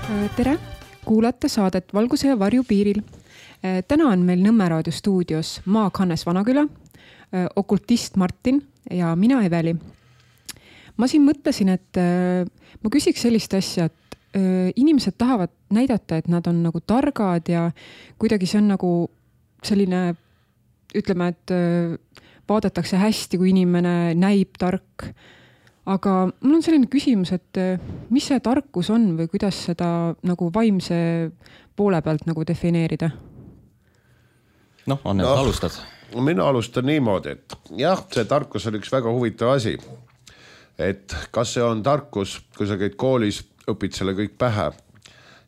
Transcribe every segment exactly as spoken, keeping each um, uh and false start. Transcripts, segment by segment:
Tere, kuulate saadet Valguse ja varju piiril. Täna on meil Nõmme raadio stuudios Maag Hannes Vanaküla, okultist Martin ja mina Eveli. Ma siin mõtlesin, et ma küsiks sellist asja, et inimesed tahavad näidata, et nad on nagu targad ja kuidagi see on nagu selline, ütleme, et vaadatakse hästi, kui inimene näib tark. Aga mul on selline küsimus, et mis see tarkus on või kuidas seda nagu vaimse poole pealt nagu defineerida? Noh, on need no, alustad? Mina alustan niimoodi, et jah, see tarkus on üks väga huvitav asi. Et kas see on tarkus, kui sa käid koolis, õpid selle kõik pähe?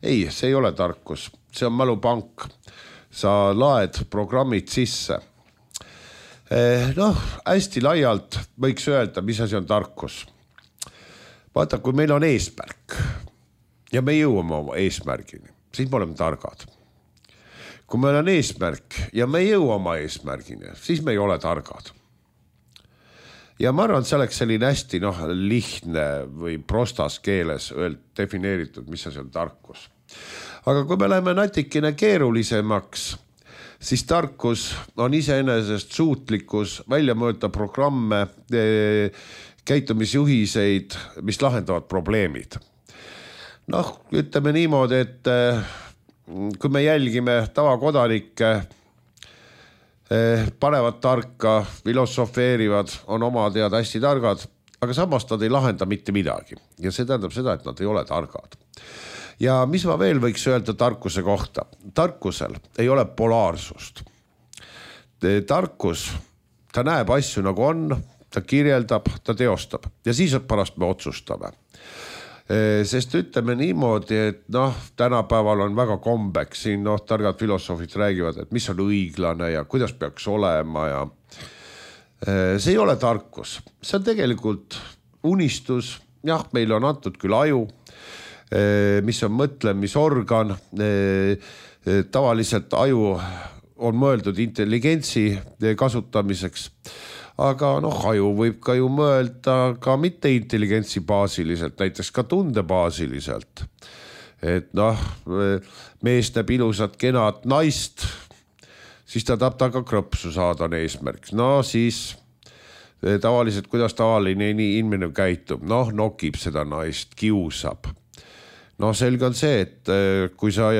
Ei, see ei ole tarkus. See on mälupank. Sa laed programmid sisse. Noh, hästi laialt võiks öelda, mis asi on tarkus. Vaata, kui meil on eesmärk ja me jõuame oma eesmärgini, siis me oleme targad. Kui meil on eesmärk ja me ei jõua oma eesmärgini, siis me ei ole targad. Ja ma arvan, see oleks selline hästi noh, lihtne või prostas keeles öeld defineeritud, mis asi on tarkus. Aga kui me läheme natikene keerulisemaks, siis tarkus on iseenesest suutlikkus välja mõõta programme, käitumisjuhiseid, mis lahendavad probleemid. Noh, ütleme niimoodi, et kui me jälgime tavakodanikke, panevad tarka, filosofeerivad, on oma tead hästi targad, aga samas nad ei lahenda mitte midagi. Ja see tähendab seda, et nad ei ole targad. Ja mis ma veel võiks öelda tarkuse kohta? Tarkusel ei ole polaarsust. Tarkus, ta näeb asju nagu on, ta kirjeldab, ta teostab ja siis pärast me otsustame. Sest ütleme niimoodi, et noh, tänapäeval on väga kombeks, siin noh, targad filosoofid räägivad, et mis on õiglane ja kuidas peaks olema ja see ei ole tarkus. See on tegelikult unistus, jah, meil on antud küll aju, mis on mõtlemisorgan, tavaliselt aju on mõeldud intelligentsi kasutamiseks, aga noh, aju võib ka ju mõelda ka mitte intelligentsi baasiliselt, näiteks ka tundebaasiliselt. Et noh, mees näeb ilusat kenad naist, siis ta tahab taga krõpsu saada on eesmärk. No siis tavaliselt, kuidas tavaline inimene käitub, noh, nokib seda naist, kiusab. No selge on see, et kui sa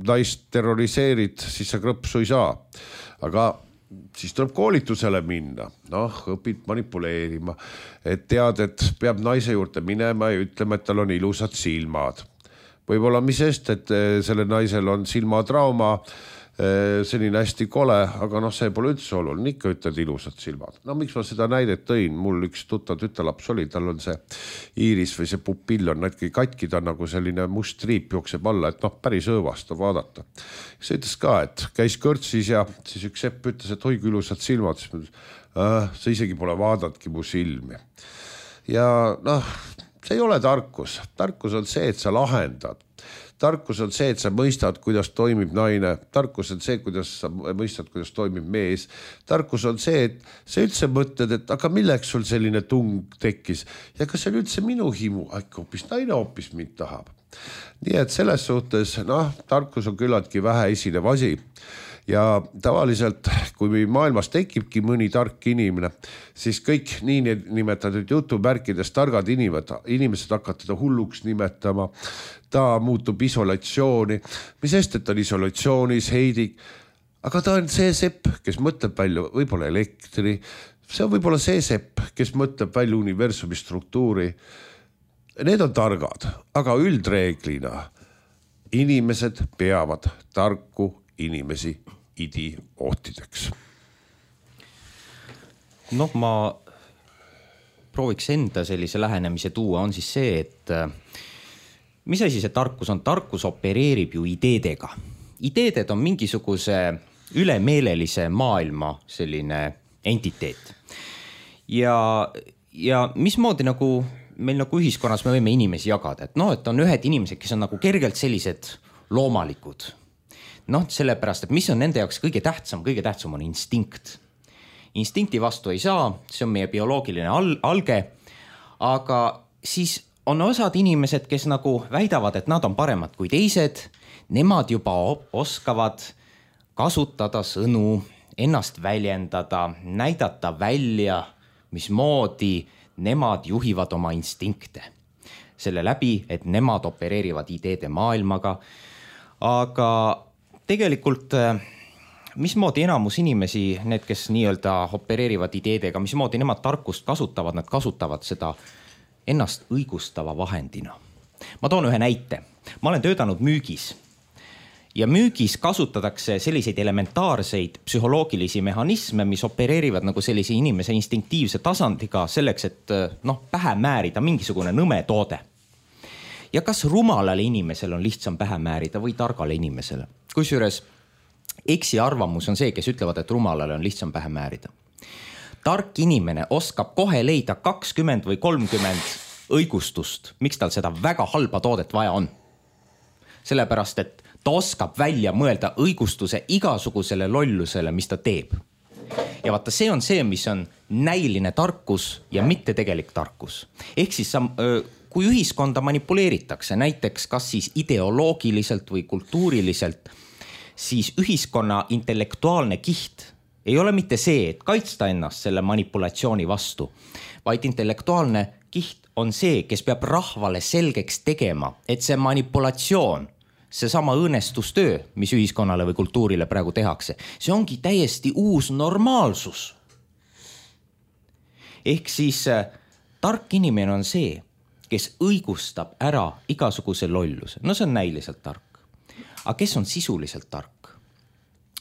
naist terroriseerid, siis sa krõpsu ei saa. Aga siis tuleb koolitusele minna. Noh, õpid manipuleerima. Et tead, et peab naise juurde minema ja ütlema, et tal on ilusad silmad. Võib-olla mis sest, et selle naisel on silmatrauma, selline hästi kole, aga noh, see pole üldse oluline, ikka ütled ilusad silmad. No miks ma seda näidet tõin? Mul üks tuttav tütalaps oli, tal on see iiris või see pupill on näitki katki, ta nagu selline must triip jookseb alla, et noh, päris õõvastav vaadata. See ütles ka, et käis kõrtsis ja siis üks sepp ütles, et hoigu ilusad silmad, siis mõtles, äh, see isegi pole vaadatki mu silmi. Ja noh, see ei ole tarkus. Tarkus on see, et sa lahendad. Tarkus on see, et sa mõistad, kuidas toimib naine. Tarkus on see, kuidas sa mõistad, kuidas toimib mees. Tarkus on see, et sa üldse mõtled, et aga milleks sul selline tung tekkis. Ja kas see on üldse minu himu? Äkki hoopis naine hoopis mind tahab. Nii et selles suhtes, noh, tarkus on küllaltki vähe esinev asi. Ja tavaliselt, kui maailmas tekibki mõni tark inimene, siis kõik nii nimetatud jutumärkides targad inimesed, inimesed hakkavad teda hulluks nimetama, ta muutub isolatsiooni, mis sest, et ta on isolatsioonis, heidik, aga ta on see sepp, kes mõtleb välja võib-olla elektri, see on võib-olla see sepp, kes mõtleb välja universumi struktuuri. Need on targad, aga üldreeglina inimesed peavad tarku inimesi idiootideks. Noh, ma prooviks enda sellise lähenemise tuua, on siis see, et mis asi see tarkus on? Tarkus opereerib ju ideedega. Ideeded on mingisuguse ülemeelelise maailma selline entiteet. Ja, ja mismoodi nagu meil nagu ühiskonnas me võime inimesi jagada, et noh, et on ühed inimesed, kes on nagu kergelt sellised loomalikud. Noh, sellepärast, et mis on nende jaoks kõige tähtsam, kõige tähtsam on instinkt. Instinkti vastu ei saa, see on meie bioloogiline al- alge, aga siis on osad inimesed, kes nagu väidavad, et nad on paremad kui teised, nemad juba oskavad kasutada sõnu, ennast väljendada, näidata välja, mismoodi nemad juhivad oma instinkte. Selle läbi, et nemad opereerivad ideede maailmaga. Aga tegelikult, mismoodi enamus inimesi, need, kes nii-öelda opereerivad ideedega, mismoodi nemad tarkust kasutavad, nad kasutavad seda ennast õigustava vahendina. Ma toon ühe näite. Ma olen töötanud müügis. Ja müügis kasutatakse selliseid elementaarseid psühholoogilisi mehhanisme, mis opereerivad nagu sellise inimese instinktiivse tasandiga selleks, et noh, pähe määrida mingisugune nõme toode. Ja kas rumalale inimesel on lihtsam pähe määrida või targale inimesele? Kusjuures eksi arvamus on see, kes ütlevad, et rumalale on lihtsam pähe määrida. Tark inimene oskab kohe leida kakskümmend või kolmkümmend õigustust, miks tal seda väga halba toodet vaja on. Sellepärast, et ta oskab välja mõelda õigustuse igasugusele lollusele, mis ta teeb. Ja vaata, see on see, mis on näiline tarkus ja mitte tegelik tarkus. Ehk siis, kui ühiskonda manipuleeritakse, näiteks kas siis ideoloogiliselt või kultuuriliselt, siis ühiskonna intellektuaalne kiht ei ole mitte see, et kaitsta ennast selle manipulatsiooni vastu, vaid intellektuaalne kiht on see, kes peab rahvale selgeks tegema, et see manipulatsioon, see sama õõnestustöö, mis ühiskonnale või kultuurile praegu tehakse, see ongi täiesti uus normaalsus. Ehk siis tark inimene on see, kes õigustab ära igasuguse lolluse. No see on näiliselt tark. Aga kes on sisuliselt tark?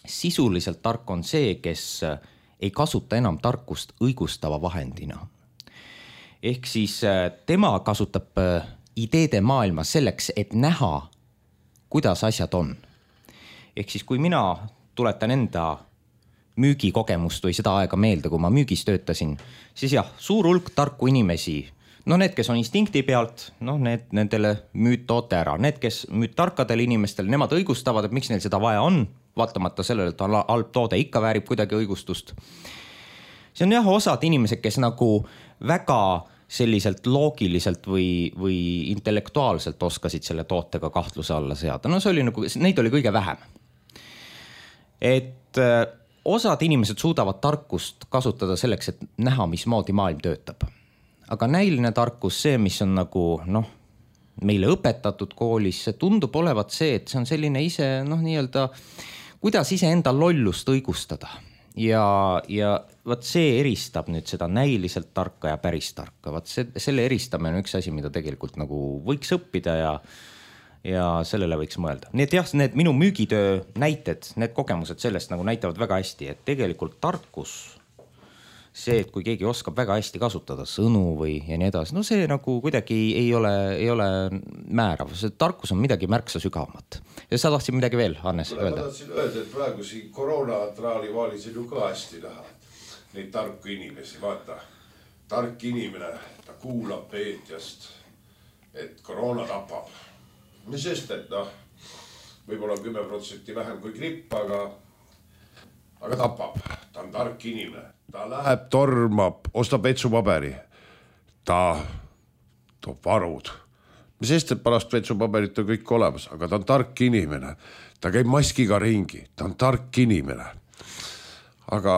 Sisuliselt tark on see, kes ei kasuta enam tarkust õigustava vahendina. Ehk siis tema kasutab ideede maailma selleks, et näha, kuidas asjad on. Ehk siis kui mina tuletan enda müügikogemust või seda aega meelde, kui ma müügis töötasin, siis jah, suur hulk tarku inimesi, no need, kes on instinkti pealt, no need, nendele müüd toote ära. Need, kes müüd tarkadele inimestele, nemad õigustavad, et miks neil seda vaja on, vaatamata sellele, et halb toode ikka väärib kuidagi õigustust. See on jah osad inimesed, kes nagu väga selliselt loogiliselt või, või intellektuaalselt oskasid selle tootega kahtluse alla seada. No see oli nagu, neid oli kõige vähem. Et osad inimesed suudavad tarkust kasutada selleks, et näha, mismoodi maailm töötab. Aga näiline tarkus, see, mis on nagu, noh, meile õpetatud koolis, see tundub olevat see, et see on selline ise, noh, nii-öelda, kuidas ise enda lollust õigustada. Ja, ja vaat see eristab nüüd seda näiliselt tarka ja päris tarka. Vaat see, selle eristamine on üks asi, mida tegelikult nagu võiks õppida ja, ja sellele võiks mõelda. Nii et jah, need minu müügitöö näited, need kogemused sellest nagu näitavad väga hästi, et tegelikult tarkus, see, et kui keegi oskab väga hästi kasutada sõnu või ja nii edasi, no see nagu kuidagi ei ole, ei ole määrav. See tarkus on midagi märksa sügavamat. Ja sa tahtsid midagi veel, Hannes, öelda? Ma tahtsin öelda, et praegu siin koroonatraali vaalisin ju ka hästi näha. Neid tarku inimesi, vaata. Tark inimene, ta kuulab peetjast, et koroona tapab. Mis sest, et noh, võib-olla kümme protsenti vähem kui gripp, aga aga tapab. Ta on tark inimene. Ta läheb, tormab, ostab vetsupaberi. Ta toob varud. Mis sest, et pärast vetsupaberit on kõik olemas, aga ta on tark inimene. Ta käib maskiga ringi. Ta on tark inimene. Aga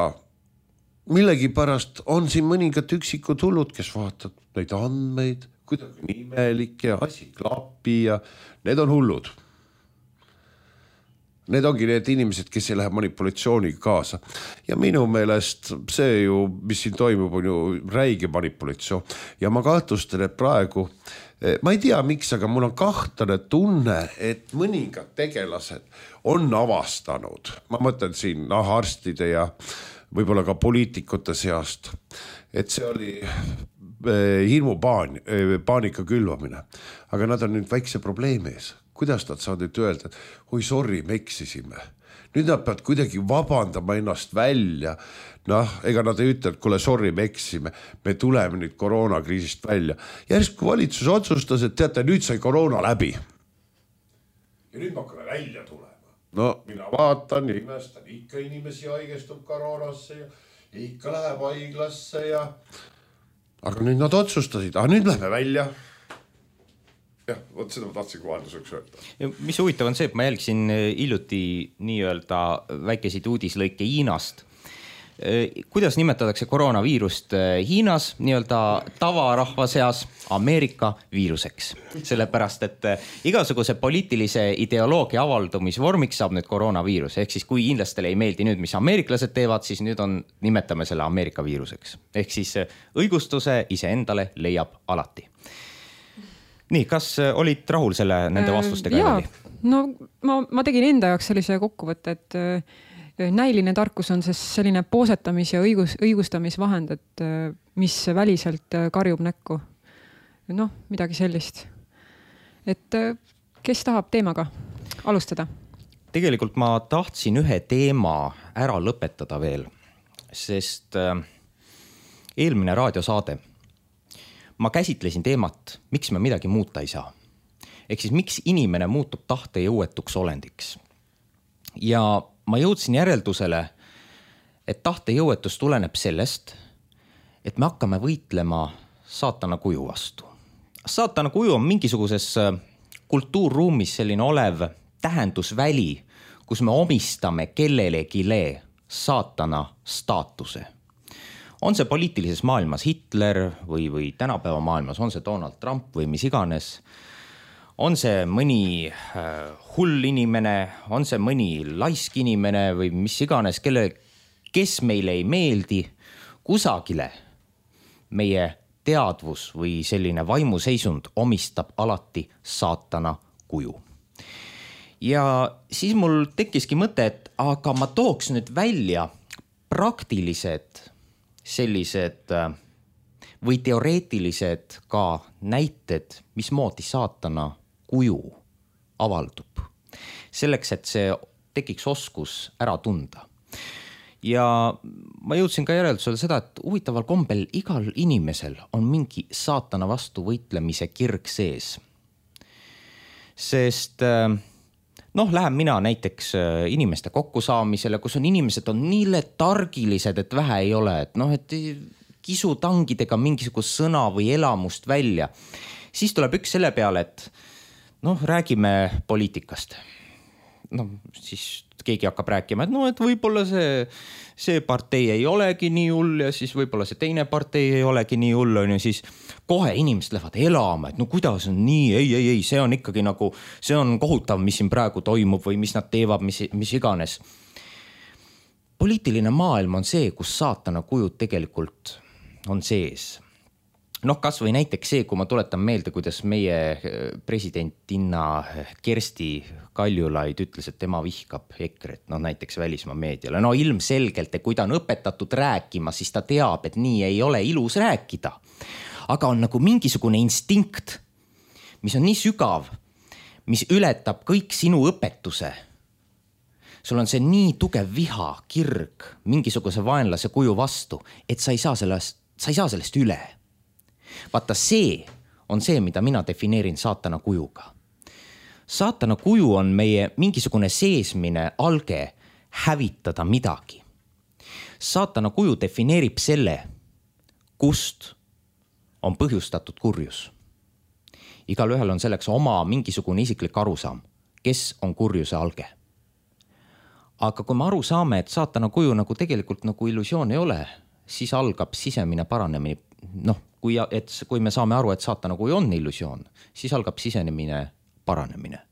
millegi pärast on siin mõningad üksikud hullud, kes vaatavad neid andmeid, kuidagi nimelik ja asi klapi ja need on hullud. Need ongi need inimesed, kes ei lähe manipulatsiooniga kaasa. Ja minu meelest see ju, mis siin toimub, on ju räige manipulatsioon. Ja ma kahtlustan, et praegu, ma ei tea miks, aga mul on kahtlane tunne, et mõningad tegelased on avastanud. Ma mõtlen siin noh, arstide ja võib-olla ka poliitikute seast, et see oli hirmu paan, paanika külvamine. Aga nad on nüüd väikse probleemi ees. Kuidas nad saavad nüüd öelda, et oi, sorry, me eksisime. Nüüd nad peavad kuidagi vabandama ennast välja. Noh, ega nad ei ütle, et kuule, sorry, me eksisime. Me tuleme nüüd koroonakriisist välja. Järsku valitsus otsustas, et teate, nüüd sai koroona läbi. Ja nüüd me hakkame välja tulema. No, mina vaatan ja imestan, ikka inimesi haigestub koroonasse ja ikka läheb haiglasse ja... Aga nüüd nad otsustasid, aga nüüd lähme välja. jah, vot seda ma tahtsin kohalduseks öelda. Mis huvitav on see, et ma jälgsin hiljuti nii-öelda väikesid uudislõike Hiinast. Kuidas nimetatakse koroonaviirust Hiinas nii-öelda tavarahva seas Ameerika viiruseks? Sellepärast, et igasuguse poliitilise ideoloogia avaldumisvormiks saab nüüd koroonaviirus. Ehk siis kui hiinlastele ei meeldi nüüd, mis ameeriklased teevad, siis nüüd on, nimetame selle Ameerika viiruseks. Ehk siis õigustuse iseendale leiab alati. Nii, kas olid rahul selle nende vastustega? Jaa, no ma, ma tegin enda jaoks sellise kokkuvõtte, et näiline tarkus on selline poosetamis- ja õigus, õigustamisvahend, et mis väliselt karjub näkku. Noh, midagi sellist. Et kes tahab teemaga alustada? Tegelikult ma tahtsin ühe teema ära lõpetada veel, sest eelmine raadiosaade ma käsitlesin teemat, miks me midagi muuta ei saa. Ehk siis miks inimene muutub tahte jõuetuks olendiks. Ja ma jõudsin järeldusele, et tahte jõuetus tuleneb sellest, et me hakkame võitlema saatana kuju vastu. Saatana kuju on mingisuguses kultuurruumis selline olev tähendusväli, kus me omistame kellelegile saatana staatuse. On see poliitilises maailmas Hitler või, või tänapäeva maailmas, on see Donald Trump või mis iganes. On see mõni hull inimene, on see mõni laisk inimene või mis iganes, kelle, kes meile ei meeldi, kusagile meie teadvus või selline vaimuseisund omistab alati saatana kuju. Ja siis mul tekkiski mõte, et aga ma tooks nüüd välja praktilised sellised või teoreetilised ka näited, mismoodi saatana kuju avaldub. Selleks, et see tekiks oskus ära tunda. Ja ma jõudsin ka järeldusele seda, et huvitaval kombel igal inimesel on mingi saatana vastu võitlemise kirg sees. Sest noh, lähen mina näiteks inimeste kokkusaamisele, kus on inimesed on nii letargilised, et vähe ei ole, et noh, et kisu tangidega mingisugust sõna või elamust välja. Siis tuleb üks selle peale, et noh, räägime poliitikast. No siis keegi hakkab rääkima, et no, et võib-olla see, see partei ei olegi nii hull ja siis võib-olla see teine partei ei olegi nii hull, on ju, siis kohe inimesed lähevad elama, et no kuidas on nii, ei, ei, ei, see on ikkagi nagu, see on kohutav, mis siin praegu toimub või mis nad teevad, mis, mis iganes. Poliitiline maailm on see, kus saatana kujud tegelikult on sees. Noh, kas või näiteks see, kui ma tuletan meelde, kuidas meie presidentinna Kersti Kaljulaid ütles, et tema vihkab EKRE-t, no näiteks välismaa meediale. No ilmselgelt, et kui ta on õpetatud rääkima, siis ta teab, et nii ei ole ilus rääkida. Aga on nagu mingisugune instinkt, mis on nii sügav, mis ületab kõik sinu õpetuse. Sul on see nii tugev viha, kirg, mingisuguse vaenlase kuju vastu, et sa ei saa sellest, sa ei saa sellest üle. Vaata, see on see, mida mina defineerin saatana kujuga. Saatana kuju on meie mingisugune seesmine alge hävitada midagi. Saatana kuju defineerib selle, kust on põhjustatud kurjus. Igal ühel on selleks oma mingisugune isiklik arusaam, kes on kurjuse alge. Aga kui me aru saame, et saatana kuju nagu tegelikult nagu illusioon ei ole, siis algab sisemine paranemine. Noh, kui, et, kui me saame aru, et saatana kuju on illusioon, siis algab sisenemine paranemine.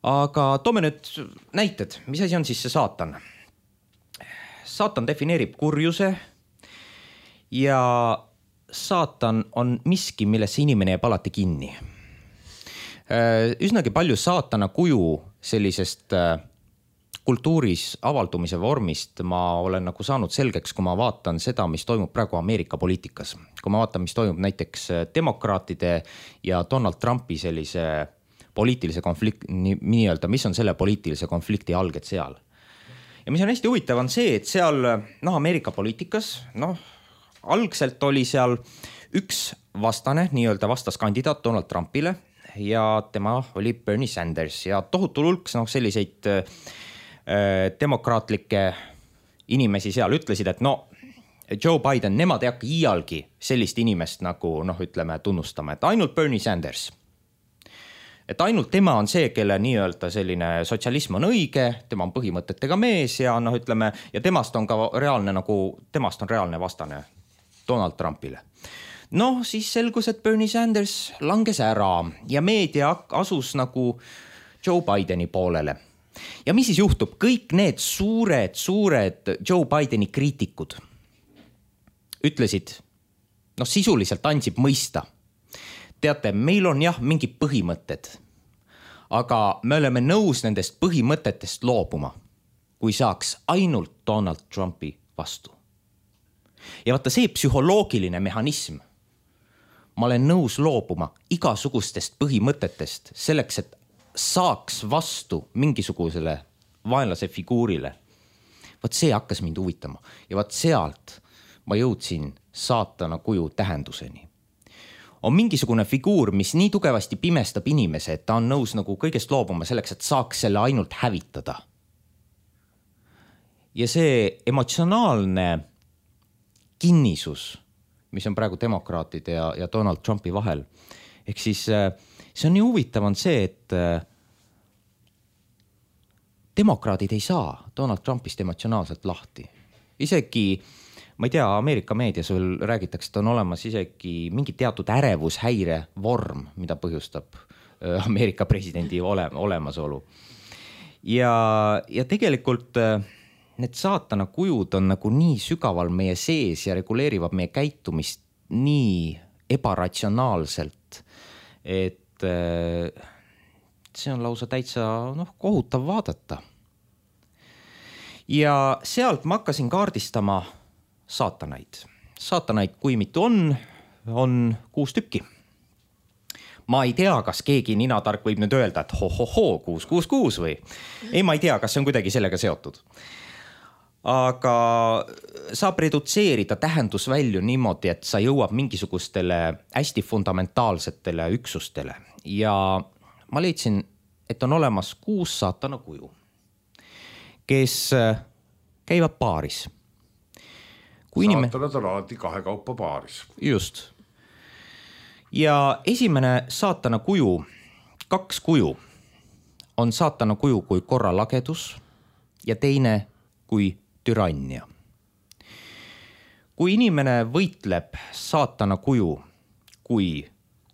Aga toome nüüd näited, mis asi on siis see saatan? Saatan defineerib kurjuse ja saatan on miski, millesse inimene jääb alati kinni. Üsnagi palju saatana kuju sellisest kultuuris avaldumise vormist ma olen nagu saanud selgeks, kui ma vaatan seda, mis toimub praegu Ameerika poliitikas. Kui ma vaatan, mis toimub näiteks demokraatide ja Donald Trumpi sellise poliitilise konflikti, nii-öelda, mis on selle poliitilise konflikti alged seal. Ja mis on hästi huvitav on see, et seal noh, Ameerika poliitikas, noh, algselt oli seal üks vastane, nii-öelda vastaskandidaat Donald Trumpile ja tema oli Bernie Sanders ja tohutul hulk noh, selliseid demokraatlikke inimesi seal ütlesid, et no, Joe Biden, nemad ei hakka iialgi sellist inimest nagu noh, ütleme tunnustama, et ainult Bernie Sanders. Et ainult tema on see, kelle nii-öelda selline sotsialism on õige, tema on põhimõtetega mees ja noh, ütleme, ja temast on ka reaalne nagu, temast on reaalne vastane Donald Trumpile. Noh, siis selgus, et Bernie Sanders langes ära ja meedia asus nagu Joe Bideni poolele. Ja mis siis juhtub? Kõik need suured, suured Joe Bideni kriitikud ütlesid, noh sisuliselt andsid mõista. Teate, meil on jah mingi põhimõtted, aga me oleme nõus nendest põhimõtetest loobuma, kui saaks ainult Donald Trumpi vastu. Ja vaata see psühholoogiline mehhanism, ma olen nõus loobuma igasugustest põhimõtetest selleks, et saaks vastu mingisugusele vaenlase figuurile. Vaat see hakkas mind huvitama ja vaat sealt ma jõudsin saatana kuju tähenduseni. On mingisugune figuur, mis nii tugevasti pimestab inimese, et ta on nõus nagu kõigest loobuma selleks, et saaks selle ainult hävitada. Ja see emotsionaalne kinnisus, mis on praegu demokraatide ja, ja Donald Trumpi vahel, ehk siis see on nii huvitav on see, et demokraadid ei saa Donald Trumpist emotsionaalselt lahti. Isegi, ma ei tea, Ameerika meedias veel räägitakse, et on olemas isegi mingi teatud ärevushäire vorm, mida põhjustab Ameerika presidendi ole, olemasolu. Ja, ja tegelikult need saatana kujud on nagu nii sügaval meie sees ja reguleerivad meie käitumist nii ebaratsionaalselt, et see on lausa täitsa noh, kohutav vaadata. Ja sealt ma hakkasin kaardistama saatanaid. Saatanaid, kui mitu on, on kuus tükki. Ma ei tea, kas keegi ninatark võib nüüd öelda, et ho-ho-ho, kuus, kuus, kuus või. Ei, ma ei tea, kas see on kuidagi sellega seotud. Aga saab redutseerida tähendusvälju niimoodi, et sa jõuab mingisugustele hästi fundamentaalsetele üksustele. Ja ma leidsin, et on olemas kuus saatana kuju, kes käivad paaris. Kui Saatanad inime... on alati kahe kaupa paaris. Just. Ja esimene saatana kuju, kaks kuju, on saatana kuju kui korralagedus ja teine kui türannia. Kui inimene võitleb saatana kuju kui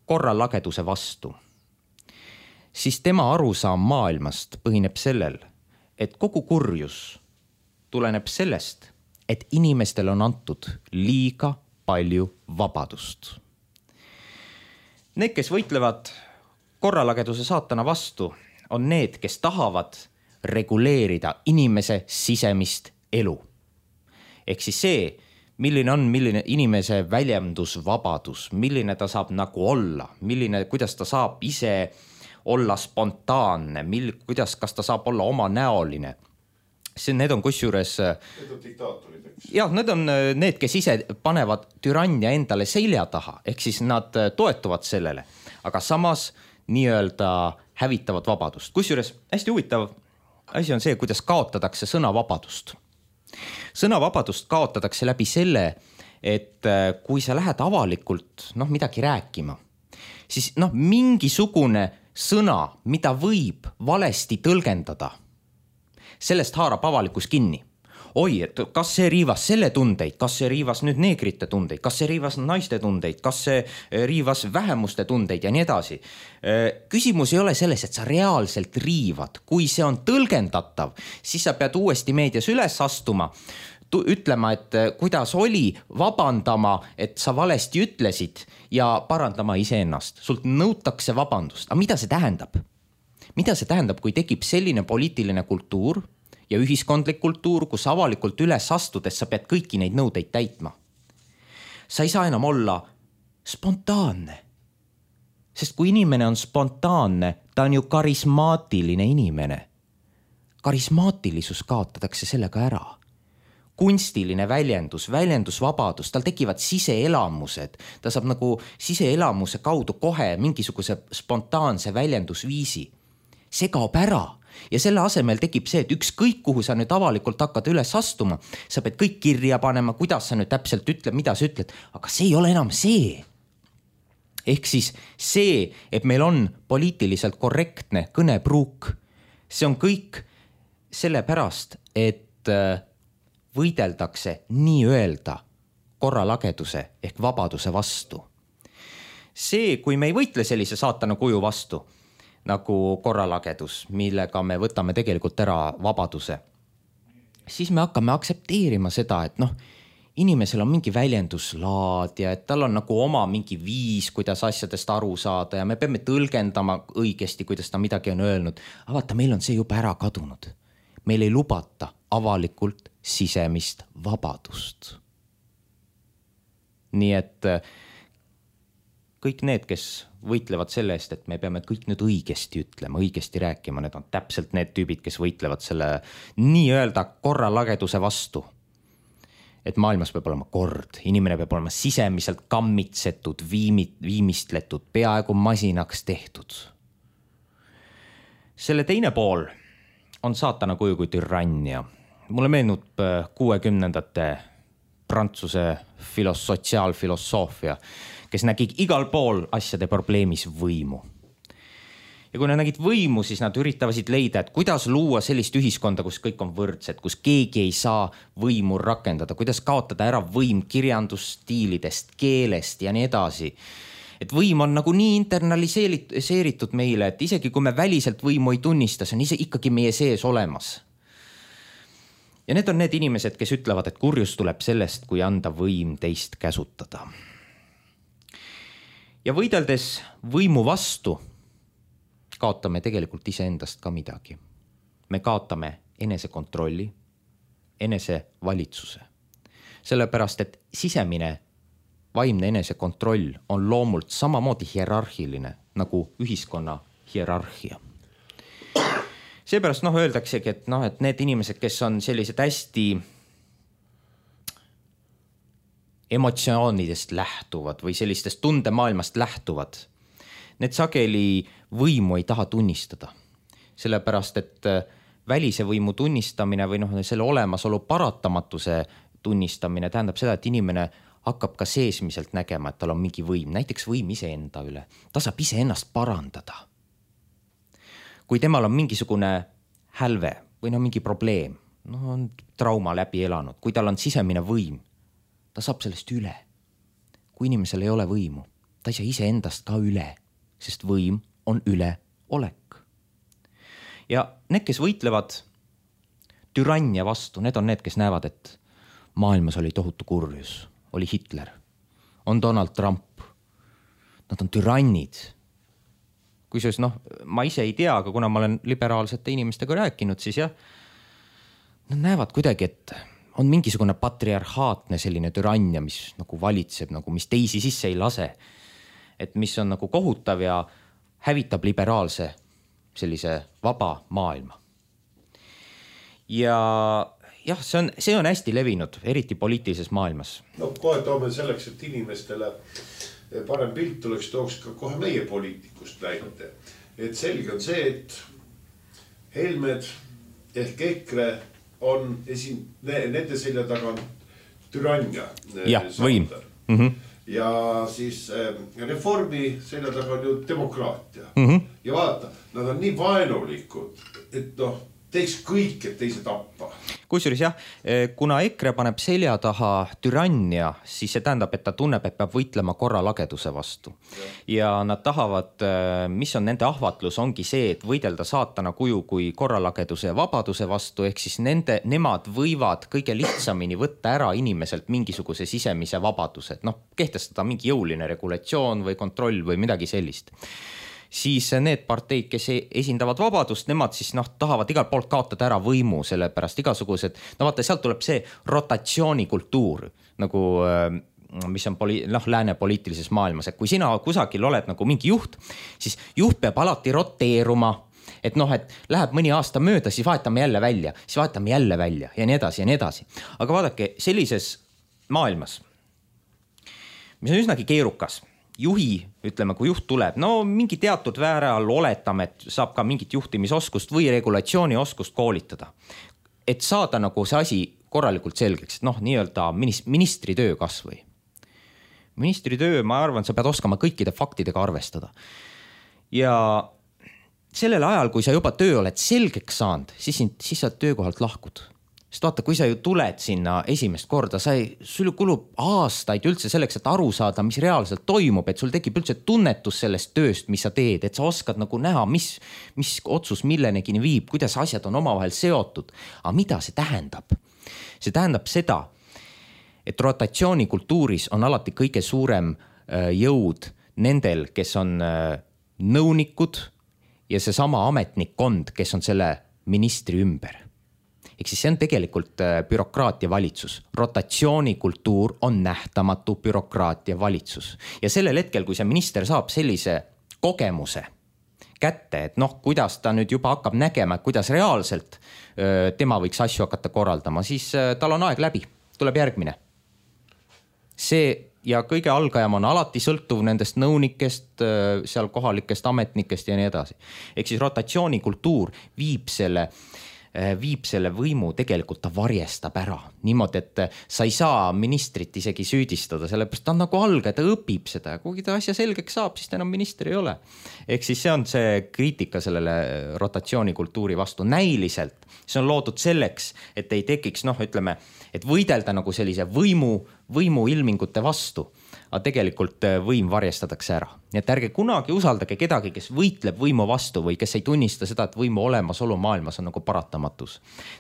korralageduse vastu, siis tema arusaam maailmast põhineb sellel, et kogu kurjus tuleneb sellest, et inimestel on antud liiga palju vabadust. Need, kes võitlevad korralageduse saatana vastu, on need, kes tahavad reguleerida inimese sisemist elu. Ehk siis see, milline on milline inimese väljendusvabadus, milline ta saab nagu olla, milline, kuidas ta saab ise olla spontaanne, mil, kuidas, kas ta saab olla oma näoline. See, need on kusjuures... Need on diktaatorid, eks? Jah, need on need, kes ise panevad türannia endale selja taha, ehk siis nad toetuvad sellele, aga samas nii-öelda hävitavad vabadust. Kusjuures hästi huvitav asi on see, kuidas kaotatakse sõnavabadust. Sõnavabadust kaotatakse läbi selle, et kui sa lähed avalikult noh, midagi rääkima, siis noh, mingisugune sõna, mida võib valesti tõlgendada, sellest haarab avalikus kinni. Oi, et kas see riivas selle tundeid, kas see riivas nüüd neegrite tundeid, kas see riivas naiste tundeid, kas see riivas vähemuste tundeid ja nii edasi. Küsimus ei ole selles, et sa reaalselt riivad. Kui see on tõlgendatav, siis sa pead uuesti meedias üles astuma, ütlema, et kuidas oli, vabandama, et sa valesti ütlesid ja parandama iseennast. Sult nõutakse vabandust. Aga mida see tähendab? Mida see tähendab, kui tekib selline poliitiline kultuur ja ühiskondlik kultuur, kus avalikult üles astudes sa pead kõiki neid nõudeid täitma? Sa ei saa enam olla spontaanne. Sest kui inimene on spontaanne, ta on ju karismaatiline inimene. Karismaatilisus kaotatakse sellega ära. Kunstiline väljendus, väljendusvabadus, tal tekivad siseelamused, ta saab nagu siseelamuse kaudu kohe mingisuguse spontaanse väljendusviisi. See kaob ära, ja selle asemel tekib see, et ükskõik kuhu sa nüüd avalikult hakkad üles astuma, sa pead kõik kirja panema, kuidas sa nüüd täpselt ütled, mida sa ütled, aga see ei ole enam see. Ehk siis see, et meil on poliitiliselt korrektne kõnepruuk, see on kõik sellepärast, et võideldakse nii öelda korralageduse ehk vabaduse vastu. See, kui me ei võitle sellise saatana kuju vastu, nagu korralagedus, millega me võtame tegelikult ära vabaduse, siis me hakkame aktsepteerima seda, et noh, inimesel on mingi väljenduslaad ja et tal on nagu oma mingi viis, kuidas asjadest aru saada ja me peame tõlgendama õigesti, kuidas ta midagi on öelnud. Aga vaata, meil on see juba ära kadunud. Meil ei lubata avalikult sisemist vabadust. Nii et kõik need, kes võitlevad selle eest, et me peame kõik nüüd õigesti ütlema, õigesti rääkima, need on täpselt need tüübid, kes võitlevad selle nii-öelda korralageduse vastu. Et maailmas peab olema kord, inimene peab olema sisemiselt kammitsetud, viimit, viimistletud, peaaegu masinaks tehtud. Selle teine pool on saatana kuju kui türannia. Mulle meenub kuuekümnendate Prantsuse filos, sotsiaalfilosoofia, kes nägi igal pool asjade probleemis võimu. Ja kui nad nägid võimu, siis nad üritavasid leida, et kuidas luua sellist ühiskonda, kus kõik on võrdsed, kus keegi ei saa võimu rakendada, kuidas kaotada ära võim kirjandusstiilidest, keelest ja nii edasi. Et võim on nagu nii internaliseeritud meile, et isegi kui me väliselt võimu ei tunnista, see on ise ikkagi meie sees olemas. Ja need on need inimesed, kes ütlevad, et kurjus tuleb sellest, kui anda võim teist käsutada. Ja võideldes võimu vastu kaotame tegelikult iseendast ka midagi. Me kaotame enesekontrolli, enesevalitsuse. Sellepärast, et sisemine vaimne enesekontroll on loomult samamoodi hierarhiline nagu ühiskonna hierarhia. Seepärast noh, öeldaksegi, et, noh, et need inimesed, kes on sellised hästi emotsioonidest lähtuvad või sellistest tundemaailmast lähtuvad, need sageli võimu ei taha tunnistada. Sellepärast, et välise võimu tunnistamine või noh, selle olemasolu paratamatuse tunnistamine tähendab seda, et inimene hakkab ka seesmiselt nägema, et tal on mingi võim, näiteks võim iseenda üle. Ta saab ise ennast parandada. Kui temal on mingisugune hälve või no mingi probleem, no on trauma läbi elanud, kui tal on sisemine võim, ta saab sellest üle. Kui inimesel ei ole võimu, ta ei saa ise endast ka üle, sest võim on üleolek. Ja need, kes võitlevad türannia vastu, need on need, kes näevad, et maailmas oli tohutu kurjus, oli Hitler, on Donald Trump, nad on türannid. Kui siis, noh, ma ise ei tea, aga kuna ma olen liberaalsete inimestega rääkinud, siis jah, nad näevad kuidagi, et on mingisugune patriarhaatne selline türannia, mis nagu valitseb, nagu mis teisi sisse ei lase. Et mis on nagu kohutav ja hävitab liberaalse sellise vaba maailma. Ja jah, see on, see on hästi levinud, eriti poliitilises maailmas. No kohe toome selleks, et inimestele parem pilt tuleks, tooks ka kohe meie poliitikust näite. Et selge on see, et Helmed ehk EKRE on esin, nende selja taga on türannia. Ja, võim. Mhm. Ja siis reformi selja taga on ju demokraatia. Mm-hmm. Ja vaata, nad on nii vaenulikud, et noh, teeks kõik, et teise tappa. Kusjuures jah, kuna EKRE paneb selja taha türannia, siis see tähendab, et ta tunneb, et peab võitlema korralageduse vastu. Ja, ja nad tahavad, mis on nende ahvatlus, ongi see, et võidelda saatana kuju kui korralageduse ja vabaduse vastu, ehk siis nende, nemad võivad kõige lihtsamini võtta ära inimeselt mingisuguse sisemise vabaduse, noh, kehtestada mingi jõuline regulatsioon või kontroll või midagi sellist. Siis need parteid, kes esindavad vabadust, nemad siis noh, tahavad igalt poolt kaotada ära võimu, sellepärast igasugused, no vaata, sealt tuleb see rotatsioonikultuur, nagu mis on poli, noh, lääne poliitilises maailmas, et kui sina kusagil oled nagu mingi juht, siis juht peab alati roteeruma, et noh, et läheb mõni aasta mööda, siis vahetame jälle välja, siis vahetame jälle välja ja nii edasi ja nii edasi. Aga vaadake, sellises maailmas, mis on üsnagi keerukas juhi, ütleme, kui juht tuleb, no mingi teatud vääral oletame, et saab ka mingit juhtimisoskust või regulatsioonioskust koolitada. Et saada nagu see asi korralikult selgeks, et noh, nii-öelda ministri töö kas või. Ministri töö, ma arvan, sa pead oskama kõikide faktidega arvestada. Ja sellel ajal, kui sa juba töö oled selgeks saanud, siis, siis sa töökohalt lahkud. Sest vaata, kui sa ju tuled sinna esimest korda, sa ei, sul kulub aastaid üldse selleks, et aru saada, mis reaalselt toimub, et sul tekib üldse tunnetus sellest tööst, mis sa teed, et sa oskad nagu näha, mis, mis otsus millenegi viib, kuidas asjad on omavahel seotud. Aga mida see tähendab? See tähendab seda, et rotatsioonikultuuris on alati kõige suurem jõud nendel, kes on nõunikud ja see sama ametnikkond, kes on selle ministri ümber. Ehk siis see on tegelikult bürokraatia valitsus. Rotatsioonikultuur on nähtamatu bürokraatia valitsus. Ja sellel hetkel, kui see minister saab sellise kogemuse kätte, et noh, kuidas ta nüüd juba hakkab nägema, kuidas reaalselt tema võiks asju hakata korraldama, siis tal on aeg läbi, tuleb järgmine. See ja kõige algajam on alati sõltuv nendest nõunikest, seal kohalikest ametnikest ja nii edasi. Ehk siis rotatsioonikultuur viib selle viib selle võimu, tegelikult ta varjestab ära. Niimoodi, et sa ei saa ministrit isegi süüdistada, sellepärast ta on nagu alge, ta õpib seda. Kuigi ta asja selgeks saab, siis ta enam minister ei ole. Ehk siis see on see kriitika sellele rotatsioonikultuuri vastu näiliselt. See on loodud selleks, et ei tekiks, noh, ütleme, et võidelda nagu sellise võimu, võimu ilmingute vastu. Aga tegelikult võim varjestatakse ära. Nii et ärge kunagi usaldage kedagi, kes võitleb võimu vastu või kes ei tunnista seda, et võimu olemasolu maailmas on nagu paratamatus.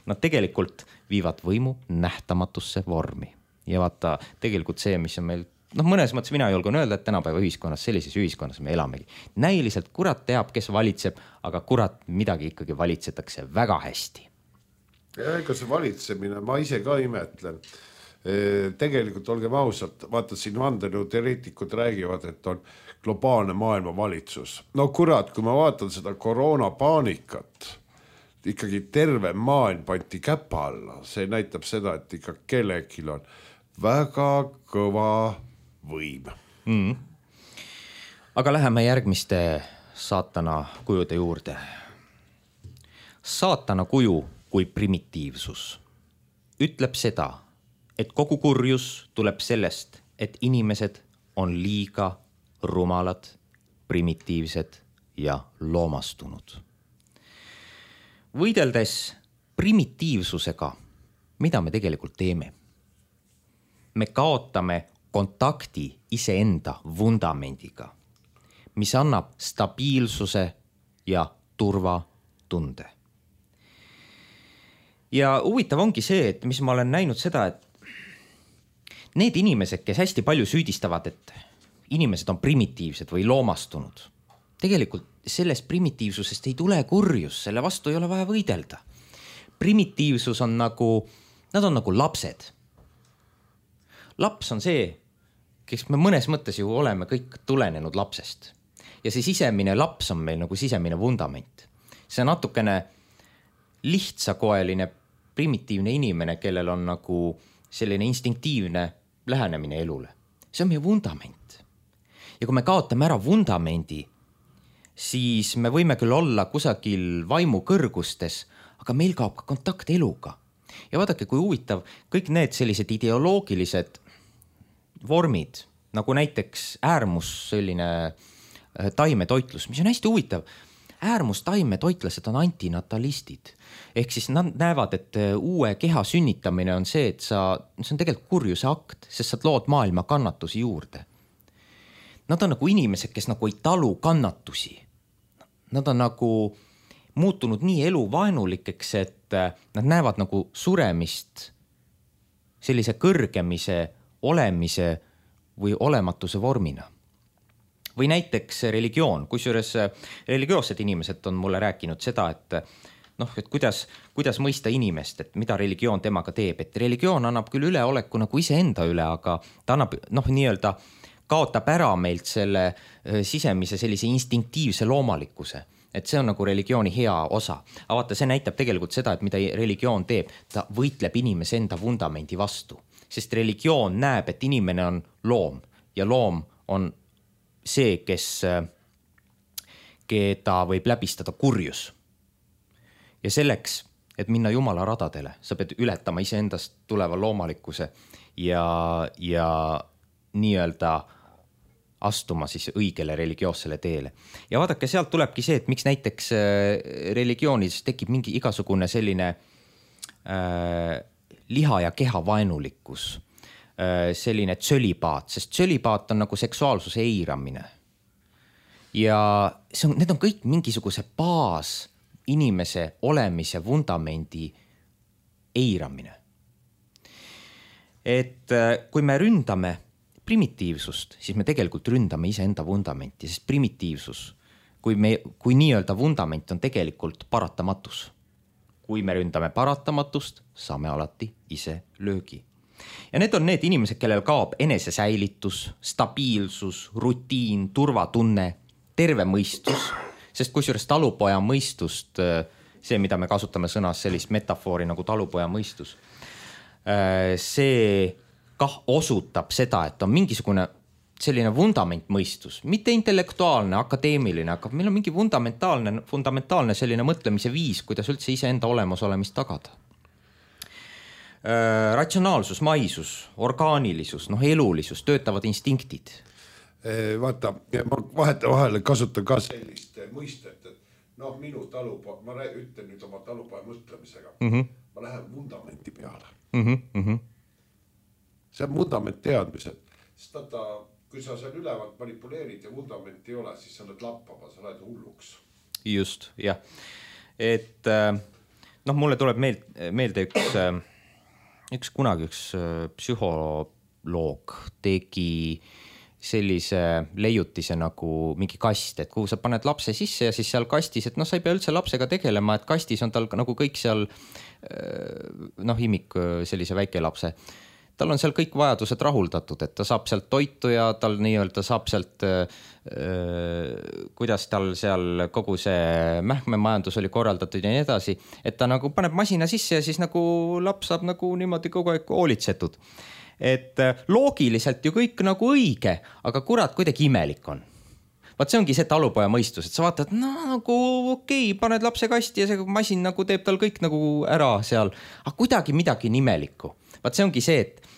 Nad tegelikult viivad võimu nähtamatusse vormi. Ja vaata, tegelikult see, mis on meil, noh, mõnes mõttes mina julgen öelda, et tänapäeva ühiskonnas, sellises ühiskonnas me elamegi. Näiliselt kurat teab, kes valitseb, aga kurat midagi ikkagi valitsetakse väga hästi. Ja ega see valitsemine, ma ise ka imetlen. Tegelikult olgem ausalt, vaata siin vandenõuteoreetikud räägivad, et on globaalne maailma valitsus. No kurat, kui ma vaatan seda koroonapaanikat, ikkagi terve maailm panti käpa alla. See näitab seda, et ikka kellegil on väga kõva võim. Mm. Aga läheme järgmiste saatana kujude juurde. Saatana kuju kui primitiivsus ütleb seda, et kogu kurjus tuleb sellest, et inimesed on liiga rumalad, primitiivsed ja loomastunud. Võideldes primitiivsusega, mida me tegelikult teeme? Me kaotame kontakti iseenda vundamendiga, mis annab stabiilsuse ja turvatunde. Ja huvitav ongi see, et mis ma olen näinud seda, et need inimesed, kes hästi palju süüdistavad, et inimesed on primitiivsed või loomastunud, tegelikult sellest primitiivsusest ei tule kurjus, selle vastu ei ole vaja võidelda. Primitiivsus on nagu, nad on nagu lapsed. Laps on see, kes me mõnes mõttes ju oleme kõik tulenenud lapsest. Ja see sisemine laps on meil nagu sisemine vundament. See on natukene lihtsakoeline primitiivne inimene, kellel on nagu selline instinktiivne lähenemine elule. See on meie vundament. Ja kui me kaotame ära vundamendi, siis me võime küll olla kusagil vaimu kõrgustes, aga meil kaob ka kontakt eluga. Ja vaadake, kui huvitav, kõik need sellised ideoloogilised vormid, nagu näiteks äärmus selline taimetoitlus, mis on hästi huvitav. Äärmus taimetoitlased on antinatalistid. Ehk siis nad näevad, et uue keha sünnitamine on see, et sa, see on tegelikult kurjuse akt, sest sa lood maailma kannatusi juurde. Nad on nagu inimesed, kes nagu ei talu kannatusi. Nad on nagu muutunud nii eluvaenulikeks, et nad näevad nagu suremist sellise kõrgemise, olemise või olematuse vormina. Või näiteks religioon, kusjuures religioossed inimesed on mulle rääkinud seda, et noh, et kuidas, kuidas mõista inimest, et mida religioon temaga teeb, et religioon annab küll üleoleku nagu iseenda üle, aga ta annab, noh, nii-öelda kaotab ära meilt selle sisemise sellise instinktiivse loomalikkuse, et see on nagu religiooni hea osa. Aga vaata, see näitab tegelikult seda, et mida religioon teeb, ta võitleb inimese enda vundamendi vastu, sest religioon näeb, et inimene on loom ja loom on see, kes, keda võib läbistada kurjus. Ja selleks, et minna Jumala radadele, sa pead ületama iseendast tuleva loomalikkuse ja, ja nii-öelda astuma siis õigele religioossele teele. Ja vaadake, sealt tulebki see, et miks näiteks religioonides tekib mingi igasugune selline äh, liha ja keha vaenulikkus, äh, selline tsölibaat, sest tsölibaat on nagu seksuaalsuse eiramine. Ja see on, need on kõik mingisuguse baas inimese olemise vundamendi eiramine. Et äh, kui me ründame primitiivsust, siis me tegelikult ründame iseenda vundamenti, sest primitiivsus, kui, me, kui nii-öelda vundament on tegelikult paratamatus. Kui me ründame paratamatust, saame alati ise löögi. Ja need on need inimesed, kellel kaob enesesäilitus, stabiilsus, rutiin, turvatunne, terve mõistus, sest kusjuures talupoja mõistust, see, mida me kasutame sõnas sellist metafoori nagu talupoja mõistus, see kah osutab seda, et on mingisugune selline vundament mõistus, mitte intellektuaalne, akadeemiline, aga meil on mingi fundamentaalne, fundamentaalne selline mõtlemise viis, kuidas üldse iseenda olemusolemist tagada. Ratsionaalsus, maisus, orgaanilisus, noh, elulisus, töötavad instinktid. Vaata, ma vaheta vahele kasutan ka sellist mõistet, et noh, minu talupoja, ma ütlen nüüd oma talupoja mõtlemisega, mm-hmm. ma lähen vundamenti peale. Mm-hmm. Mm-hmm. See on vundament teadmised, sest tata, kui sa seal ülevalt manipuleerid ja vundament ei ole, siis sa oled lappama, sa oled hulluks. Just, jah. Et noh, mulle tuleb meelde, meelde üks, üks kunagi üks psühholoog tegi sellise leiutise nagu mingi kast, et kuhu sa paned lapse sisse ja siis seal kastis, et noh, sa ei pea üldse lapsega tegelema, et kastis on tal nagu kõik seal noh, imik sellise väike lapse. Tal on seal kõik vajadused rahuldatud, et ta saab sealt toitu ja tal nii-öelda saab sealt, kuidas tal seal kogu see mähkmemajandus oli korraldatud ja nii edasi, et ta nagu paneb masina sisse ja siis nagu laps saab nagu niimoodi kogu aeg hoolitsetud. Et loogiliselt ju kõik nagu õige, aga kurat, kuidagi imelik on. Vaat see ongi see talupoja mõistus, et sa vaatad, no nagu okei, okay, paned lapse kasti ja see masin nagu teeb tal kõik nagu ära seal, aga kuidagi midagi nimelikku. Vaat see ongi see, et,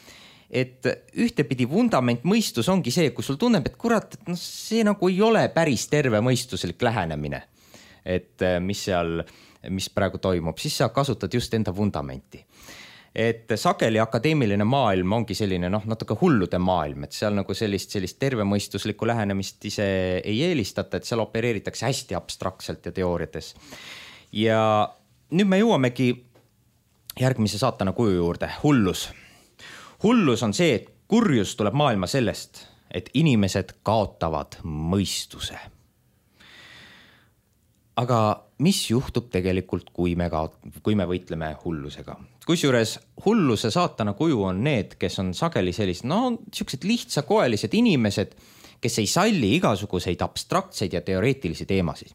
et ühtepidi vundament mõistus ongi see, kui sul tunneb, et kurat, et no, see nagu ei ole päris terve mõistuslik lähenemine, et mis seal, mis praegu toimub, siis sa kasutad just enda vundamenti. Et sageli akadeemiline maailm ongi selline noh, natuke hullude maailm, et seal nagu sellist, sellist tervemõistuslikku lähenemist ise ei eelistata, et seal opereeritakse hästi abstraktselt ja teooriates. Ja nüüd me jõuamegi järgmise saatana kuju juurde, hullus. Hullus on see, et kurjus tuleb maailma sellest, et inimesed kaotavad mõistuse. Aga mis juhtub tegelikult, kui me, kaot- kui me võitleme hullusega? Kusjuures hulluse saatana kuju on need, kes on sageli sellised, no siuksed lihtsakoelised inimesed, kes ei salli igasuguseid abstraktseid ja teoreetilisi teemasid.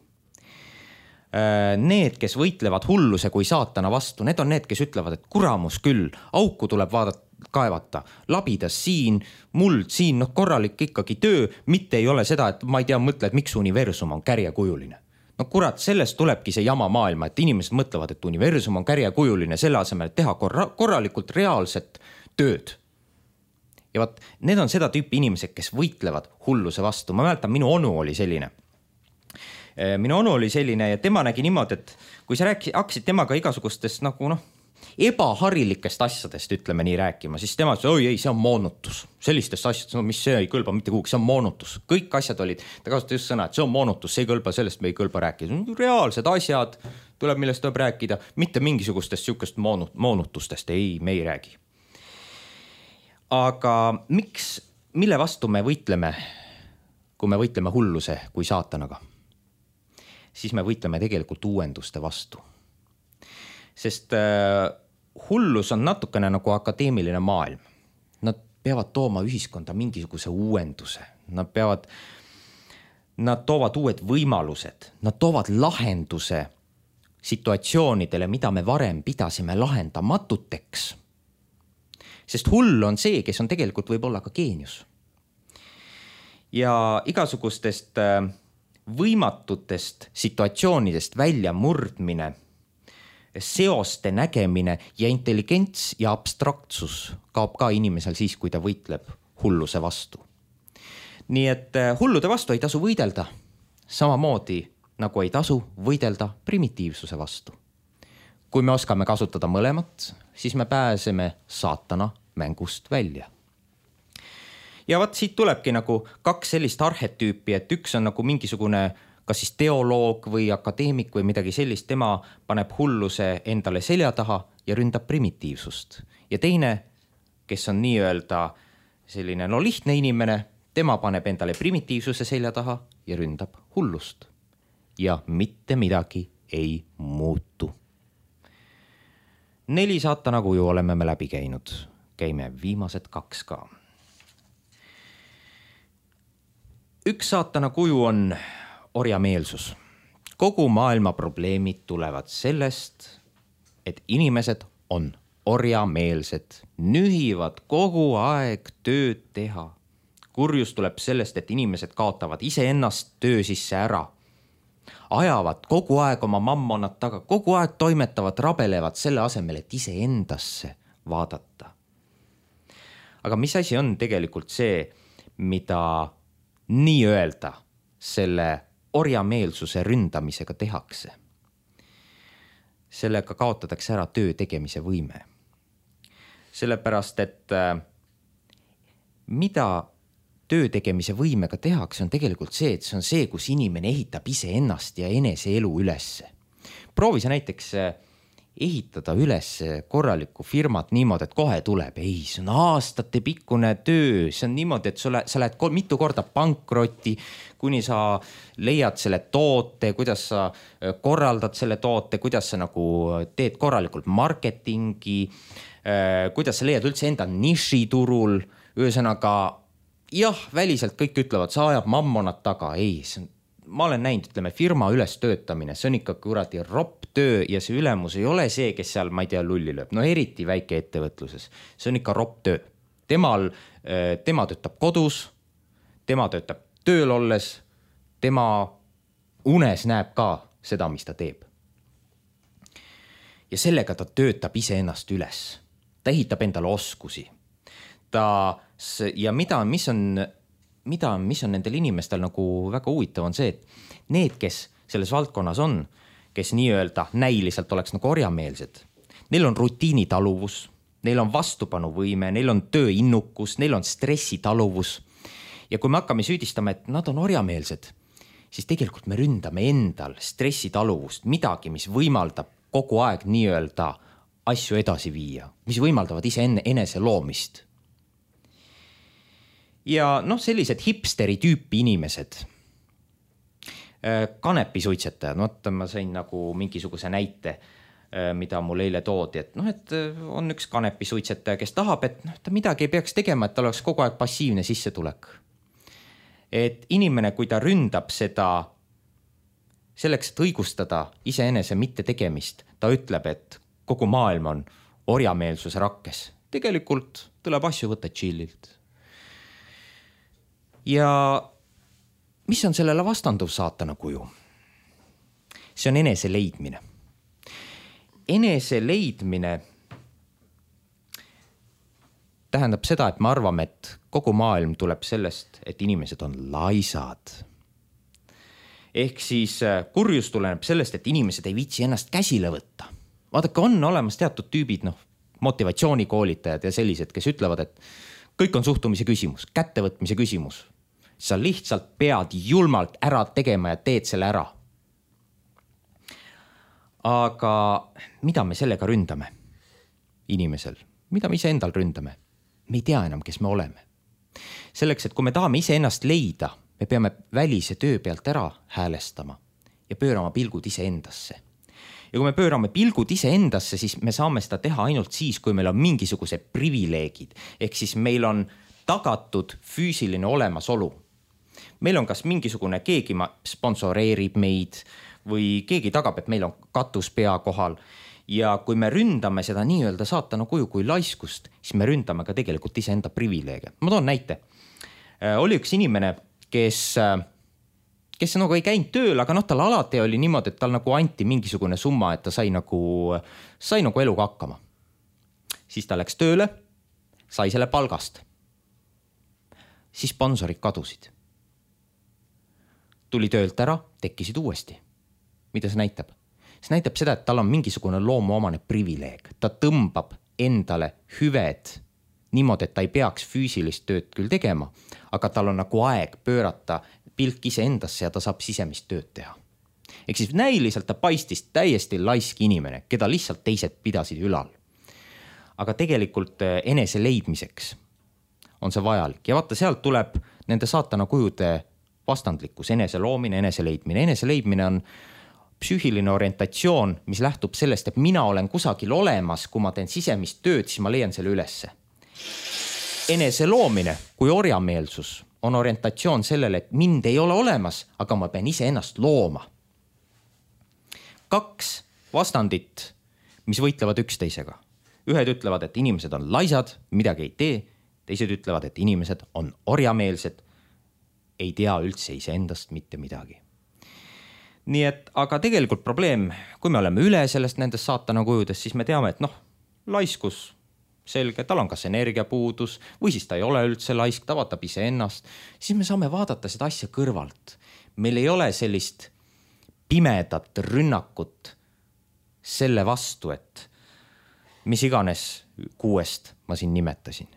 Need, kes võitlevad hulluse kui saatana vastu, need on need, kes ütlevad, et kuramus küll, auku tuleb vaadata, kaevata, labidas siin, muld siin, noh korralik ikkagi töö, mitte ei ole seda, et ma ei tea, mõtle, et miks universum on kärjekujuline. No kurat, sellest tulebki see jama maailma, et inimesed mõtlevad, et universum on kärjekujuline selle asemel, et teha korra, korralikult reaalset tööd. Ja vaat, need on seda tüüpi inimesed, kes võitlevad hulluse vastu. Ma mäletan, minu onu oli selline. Minu onu oli selline ja tema nägi niimoodi, et kui sa rääkisid, hakkasid temaga igasugustest nagu noh, ebaharilikest asjadest, ütleme nii rääkima, siis tema ütles, oi ei, see on moonutus. Sellistest asjadest, no mis see ei kõlba mitte kuhugi, see on moonutus. Kõik asjad olid, ta kasutas just sõna, et see on moonutus, see ei kõlba, sellest me ei kõlba rääkida. Reaalsed asjad tuleb, millest tuleb rääkida, mitte mingisugustest sihukest moonutustest, ei, me ei räägi. Aga miks, mille vastu me võitleme, kui me võitleme hulluse kui saatanaga? Siis me võitleme tegelikult uuenduste vastu. Sest äh, hullus on natukene nagu akadeemiline maailm. Nad peavad tooma ühiskonda mingisuguse uuenduse. Nad peavad, nad toovad uued võimalused. Nad toovad lahenduse situatsioonidele, mida me varem pidasime lahendamatuteks. Sest hull on see, kes on tegelikult võib olla ka geenius. ja igasugustest võimatutest situatsioonidest välja murdmine, seoste nägemine ja intelligents ja abstraktsus kaob ka inimesel siis, kui ta võitleb hulluse vastu. Nii et hullude vastu ei tasu võidelda, samamoodi nagu ei tasu võidelda primitiivsuse vastu. Kui me oskame kasutada mõlemat, siis me pääseme saatana mängust välja. Ja vaat siit tulebki nagu kaks sellist arhetüüpi, et üks on nagu mingisugune kas siis teoloog või akadeemik või midagi sellist, tema paneb hulluse endale selja taha ja ründab primitiivsust. Ja teine, kes on nii-öelda selline no lihtne inimene, tema paneb endale primitiivsuse selja taha ja ründab hullust. Ja mitte midagi ei muutu. Neli saatana kuju oleme me läbi käinud. Käime viimased kaks ka. Üks saatana kuju on orjameelsus. Kogu maailma probleemid tulevad sellest, et inimesed on orjameelsed, nühivad kogu aeg tööd teha. Kurjus tuleb sellest, et inimesed kaotavad iseennast töö sisse ära. Ajavad kogu aeg oma mammonad taga, kogu aeg toimetavad, rabelevad selle asemel, et ise endasse vaadata. Aga mis asi on tegelikult see, mida nii öelda selle orjameelsuse ründamisega tehakse? Sellega kaotatakse ära töö tegemise võime. Sellepärast, et mida töö tegemise võimega tehakse, on tegelikult see, et see on see, kus inimene ehitab ise ennast ja enese elu ülesse. Proovi sa näiteks ehitada üles korralikku firmat niimoodi, et kohe tuleb. Ei, see on aastate pikkune töö, see on niimoodi, et sa, sa lähed mitu korda pankrotti, kuni sa leiad selle toote, kuidas sa korraldad selle toote, kuidas sa nagu teed korralikult marketingi, kuidas sa leiad üldse enda nišiturul, ühesõnaga jah, väliselt kõik ütlevad, sa ajab mammonad taga. Ei, see on, ma olen näinud, ütleme, firma üles töötamine, see on ikka kuradi ropp töö ja see ülemus ei ole see, kes seal, ma ei tea, lulli lööb. No eriti väike ettevõtluses. See on ikka ropp töö. Temal, tema töötab kodus, tema töötab tööl olles, tema unes näeb ka seda, mis ta teeb. Ja sellega ta töötab ise ennast üles. Ta ehitab endale oskusi. Ta, ja mida, mis on, mida, mis on nendel inimestel nagu väga huvitav on see, et need, kes selles valdkonnas on, kes nii-öelda näiliselt oleks nagu orjameelsed, neil on rutiinitaluvus, neil on vastupanuvõime, neil on tööinnukus, neil on stressitaluvus. Ja kui me hakkame süüdistama, et nad on orjameelsed, siis tegelikult me ründame endal stressitaluvust, midagi, mis võimaldab kogu aeg nii-öelda asju edasi viia, mis võimaldavad ise enne enese loomist. Ja noh, sellised hipsteri tüüpi inimesed, kanepisuitsetajad, no ma sain nagu mingisuguse näite, mida mul eile toodi, et noh, et on üks kanepisuitsetaja, kes tahab, et noh, ta midagi ei peaks tegema, et tal oleks kogu aeg passiivne sissetulek. Et inimene, kui ta ründab seda selleks, et õigustada iseenese mitte tegemist, ta ütleb, et kogu maailm on orjameelsuse rakkes. Tegelikult tuleb asju võtta chillilt. Ja mis on sellele vastanduv saatana kuju? See on enese leidmine. Enese leidmine tähendab seda, et me arvame, et kogu maailm tuleb sellest, et inimesed on laisad. Ehk siis kurjus tuleneb sellest, et inimesed ei viitsi ennast käsile võtta. Vaadake, on olemas teatud tüübid, noh, motivatsioonikoolitajad ja sellised, kes ütlevad, et kõik on suhtumise küsimus, kättevõtmise küsimus. Sa lihtsalt pead julmalt ära tegema ja teed selle ära. Aga mida me sellega ründame inimesel? Mida me ise endal ründame? Me ei tea enam, kes me oleme. Selleks, et kui me tahame ise ennast leida, me peame välise töö pealt ära häälestama ja pöörama pilgud ise endasse. Ja kui me pöörame pilgud ise endasse, siis me saame seda teha ainult siis, kui meil on mingisuguse privileegid. Ehk siis meil on tagatud füüsiline olemasolu. Meil on kas mingisugune keegi sponsoreerib meid või keegi tagab, et meil on katus pea kohal. Ja kui me ründame seda nii-öelda saatana kuju kui laiskust, siis me ründame ka tegelikult ise enda privileege. Ma toon näite. Oli üks inimene, kes, kes nagu ei käinud tööl, aga noh, tal alati oli niimoodi, et tal nagu anti mingisugune summa, et ta sai nagu, sai nagu eluga hakkama. Siis ta läks tööle, sai selle palgast. Siis sponsorid kadusid. Tuli töölt ära, tekkisid uuesti. Mida see näitab? See näitab seda, et tal on mingisugune loomuomane privileeg. Ta tõmbab endale hüved niimoodi, et ta ei peaks füüsilist tööd küll tegema, aga tal on nagu aeg pöörata pilk ise endasse ja ta saab sisemist tööd teha. Ehk siis näiliselt ta paistis täiesti laisk inimene, keda lihtsalt teised pidasid ülal. Aga tegelikult enese leidmiseks on see vajalik. Ja vaata, sealt tuleb nende saatana kujude vastandlikkus, enese loomine, enese leidmine. Enese leidmine on psüühiline orientatsioon, mis lähtub sellest, et mina olen kusagil olemas, kui ma teen sisemist tööd, siis ma leian selle ülesse. Enese loomine kui orjameelsus on orientatsioon sellele, et mind ei ole olemas, aga ma pean ise ennast looma. Kaks vastandit, mis võitlevad üksteisega. Ühed ütlevad, et inimesed on laisad, midagi ei tee. Teised ütlevad, et inimesed on orjameelsed, ei tea üldse ise endast mitte midagi. Nii et, aga tegelikult probleem, kui me oleme üle sellest nendest saatana kujudes, siis me teame, et noh, laiskus selge, tal on kas energiapuudus või siis ta ei ole üldse laisk, ta vaatab ise ennast, siis me saame vaadata seda asja kõrvalt. Meil ei ole sellist pimedat rünnakut selle vastu, et mis iganes kuuest ma siin nimetasin.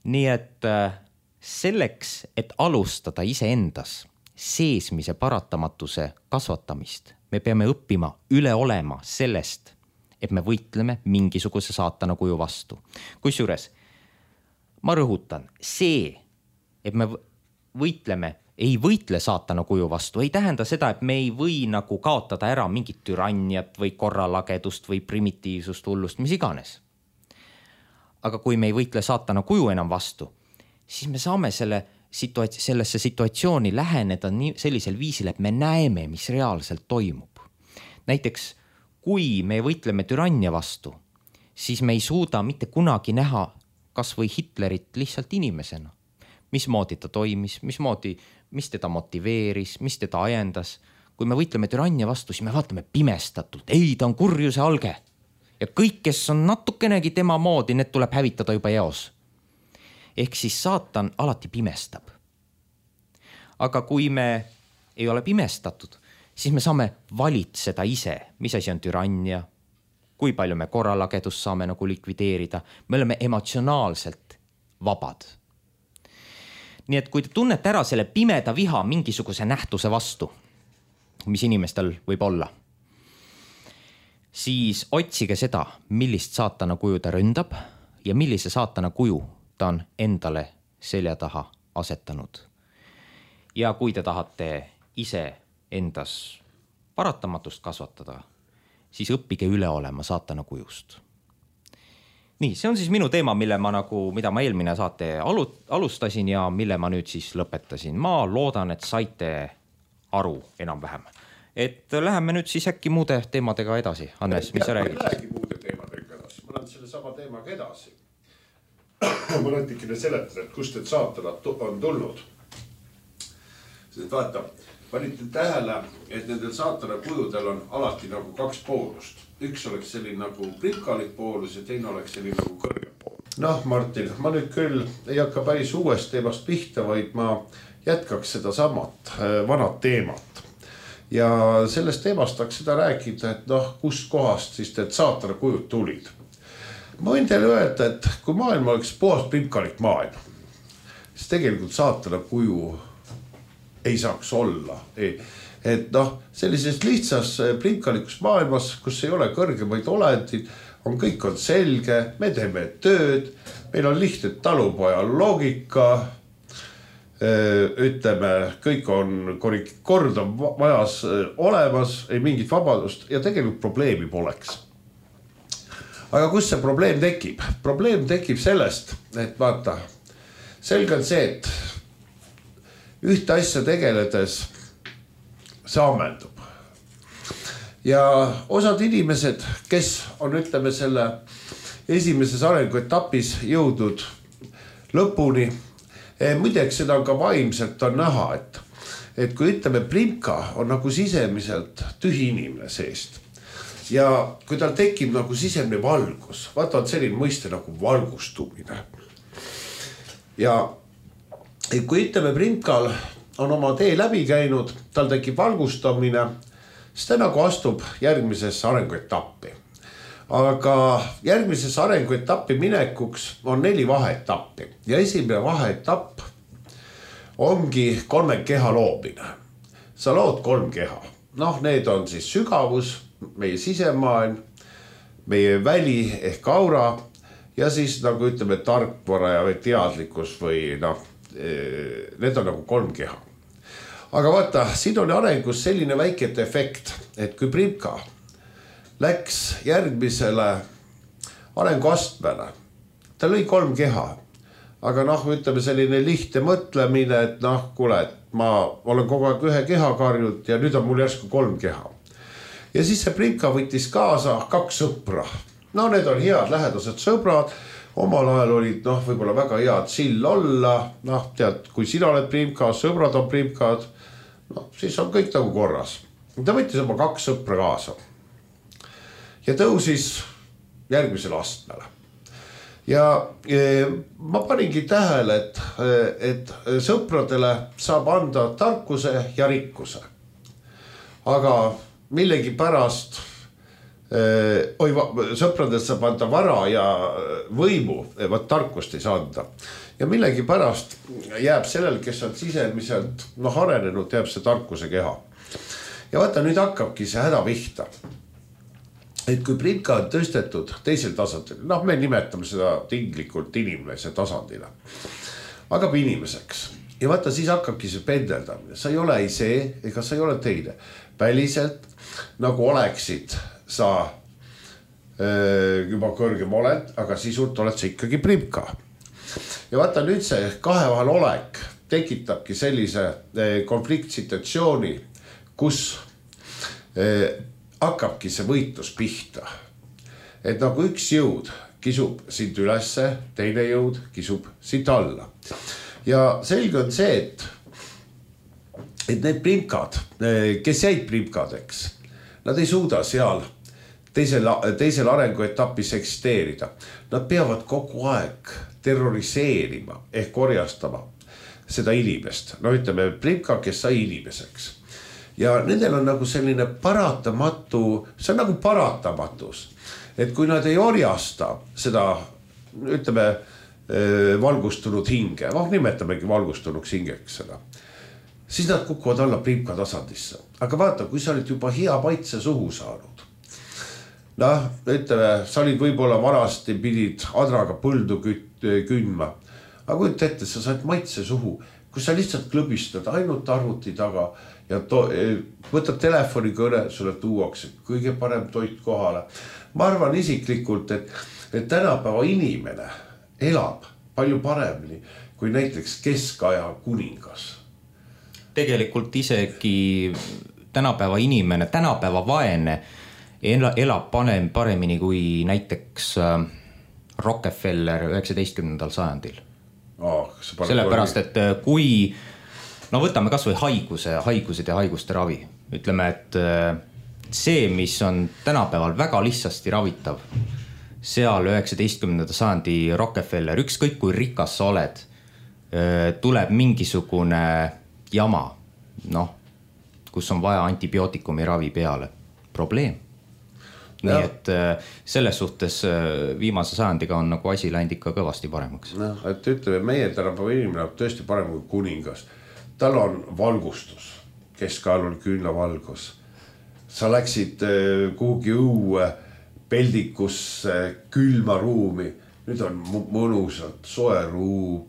Nii et selleks, et alustada ise endas seesmise paratamatuse kasvatamist, me peame õppima üle olema sellest, et me võitleme mingisuguse saatana kuju vastu. Kusjuures, ma rõhutan, see, et me võitleme, ei võitle saatana kuju vastu, ei tähenda seda, et me ei või nagu kaotada ära mingit türanniat või korralagedust või primitiivsust, hullust, mis iganes. Aga kui me ei võitle saatana kuju enam vastu, siis me saame selle situatsi- sellesse situatsiooni läheneda nii, sellisel viisil, et me näeme, mis reaalselt toimub. Näiteks, kui me võitleme türannia vastu, siis me ei suuda mitte kunagi näha kas või Hitlerit lihtsalt inimesena. Mismoodi ta toimis, mismoodi, mis teda motiveeris, mis teda ajendas. Kui me võitleme türannia vastu, siis me vaatame pimestatult. Ei, ta on kurjuse alge. Ja kõik, kes on natukenegi tema moodi, need tuleb hävitada juba eos. Ehk siis saatan alati pimestab. Aga kui me ei ole pimestatud, siis me saame valitseda ise, mis asi on türannia, kui palju me korralagedust saame nagu likvideerida. Me oleme emotsionaalselt vabad. Nii et kui te tunnete ära selle pimeda viha mingisuguse nähtuse vastu, mis inimestel võib olla, siis otsige seda, millist saatana kuju ta ründab ja millise saatana kuju ta on endale selja taha asetanud. Ja kui te tahate ise endas paratamatust kasvatada, siis õppige üle olema saatana kujust. Nii, see on siis minu teema, mille ma nagu, mida ma eelmine saate alustasin ja mille ma nüüd siis lõpetasin. Ma loodan, et saite aru enam-vähem. Et läheme nüüd siis äkki muude teemadega edasi. Hannes, mis sa räägid? Ma räägi muude teemadega edasi. Ma lähen selle sama teemaga edasi. Ma natikene seletan, et kust need saatanad on tulnud. Sest vaata, panite tähele, et nendel saatana kujudel on alati nagu kaks poolust. Üks oleks selline nagu prikalik poolus ja teine oleks selline nagu kõrge poolus. Noh, Martin, ma nüüd küll ei hakka päris uuest teemast pihta, vaid ma jätkaks seda samat vanat teemat. Ja sellest teemast tahaks seda rääkida, et noh, kust kohast siis need saatana kujud tulid. Ma võin teile öelda, et kui maailma oleks puhas primkalik maailm, siis tegelikult saatana kuju ei saaks olla. Et noh, sellises lihtsas primkalikus maailmas, kus ei ole kõrgemaid olendid, on kõik on selge, me teeme tööd, meil on lihtne talupoja loogika, ütleme, kõik on kord on majas olemas, ei mingit vabadust ja tegelikult probleemi poleks. Aga kus see probleem tekib? Probleem tekib sellest, et vaata, selge on see, et ühte asja tegeledes see ammendub. Ja osad inimesed, kes on, ütleme, selle esimeses arenguetapis jõudnud lõpuni, Muideks seda on ka vaimselt on näha, et, et kui ütleme, primka on nagu sisemiselt tühi inimene seest. Ja kui tal tekib nagu sisemine valgus, vaata on selline mõiste nagu valgustumine. Ja kui ütleme, primkal on oma tee läbi käinud, tal tekib valgustamine, siis ta nagu astub järgmisesse arenguetappi. Aga järgmisesse arenguetappi minekuks on neli vaheetappi ja esimene vaheetapp ongi kolme keha loomine. Sa lood kolm keha. Noh, need on siis sügavus, meie sisemaailm, meie väli ehk aura ja siis nagu ütleme tarkvara ja teadlikkus või noh, need on nagu kolm keha. Aga vaata, siin on arengus selline väike efekt, et kui primka läks järgmisele arenguastmele, ta lõi kolm keha, aga noh, ütleme selline lihtne mõtlemine, et noh, kuule, et ma olen kogu aeg ühe keha karjud ja nüüd on mul järsku kolm keha. Ja siis see primka võttis kaasa kaks sõpra. No need on head lähedased sõbrad, omal ajal olid noh, võib-olla väga head sill olla, noh tead, kui sina oled primka, sõbrad on primkad, noh siis on kõik nagu korras. Ta võttis oma kaks sõpra kaasa ja tõusis järgmisele astmele. Ja e, ma paningi tähele, et, et sõpradele saab anda tarkuse ja rikkuse. Aga millegi pärast e, oi, sõpradele saab anda vara ja võimu, vaat tarkust ei saa anda. Ja millegi pärast jääb sellel, kes on sisemiselt noh, arenenud, jääb see tarkuse keha. Ja vaata, nüüd hakkabki see häda pihta. Et kui primka on tõstetud teisel tasandil, noh me nimetame seda tinglikult inimese tasandile, hakkab inimeseks. Ja vaata, siis hakkabki see pendeldamine. Sa ei ole ei see, ega sa ei ole teine. Väliselt, nagu oleksid sa öö, juba kõrgem oled, aga sisult oled sa ikkagi primka. Ja vaata, nüüd see kahe vahel olek tekitabki sellise konfliktsituatsiooni, kus öö, hakkabki see võitlus pihta. Et nagu üks jõud kisub sind ülesse, teine jõud kisub sind alla. Ja selge on see, et, et need primkad, kes jäid primkadeks, nad ei suuda seal teisel, teisel arenguetapis eksisteerida. Nad peavad kogu aeg terroriseerima ehk korjastama seda inimest. No ütleme, primka, kes sai inimeseks. Ja nendel on nagu selline paratamatu, see on nagu paratamatus, et kui nad ei orjasta seda, ütleme, valgustunud hinge, noh nimetamegi valgustunuks hingeks seda, siis nad kukuvad alla primka tasandisse. Aga vaata, kui sa olid juba hea maitse suhu saanud, noh, ütleme, sa olid võib-olla vanasti pidid adraga põldu kündma, aga kui ette, sa said maitse suhu, kui sa lihtsalt klõbistad ainult arvuti taga, ja to, võtad telefoni kõne, sulle tuuakse kõige parem toit kohale. Ma arvan isiklikult, et, et tänapäeva inimene elab palju paremini kui näiteks keskaja kuningas. Tegelikult isegi tänapäeva inimene, tänapäeva vaene elab paremini kui näiteks Rockefeller üheksateistkümnendal sajandil. Oh, sellepärast, et kui no võtame kas või haiguse, haigused ja haiguste ravi. Ütleme, et see, mis on tänapäeval väga lihtsasti ravitav, seal üheksateistkümnenda sajandi Rockefeller, ükskõik kui rikas sa oled, tuleb mingisugune jama, noh, kus on vaja antibiootikumi ravi peale. Probleem. Nii ja. Et selles suhtes viimase sajandiga on nagu asi läinud ikka kõvasti paremaks. No, et ütleme, meie tänapäeva inimene on tõesti parem kui kuningas. Tal on valgustus, keskajal on küünlavalgus. Sa läksid kuhugi õue, peldikusse, külma ruumi. Nüüd on mõnusalt, soe ruum.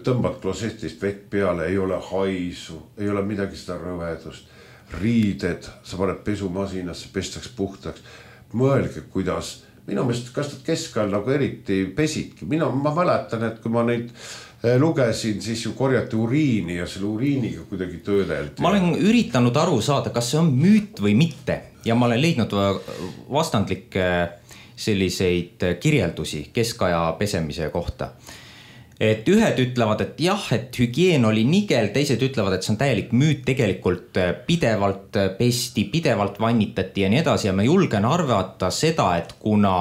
Tõmbad klosetist vett peale, ei ole haisu, ei ole midagi seda rõvedust. Riided, sa paned pesumasinasse, pestaks puhtaks. Mõelge, kuidas, minu meelest, kas nad keskajal nagu eriti pesidki. Mina, ma mäletan, et kui ma neid lugesin, siis ju korjati uriini ja selle uriiniga kuidagi töödeldi. Ma olen üritanud aru saada, kas see on müüt või mitte ja ma olen leidnud vastandlikke selliseid kirjeldusi keskaja pesemise kohta. et ühed ütlevad, et jah, et hügieen oli nigel, teised ütlevad, et see on täielik müüt, tegelikult pidevalt pesti, pidevalt vannitati ja nii edasi ja ma julgen arvata seda, et kuna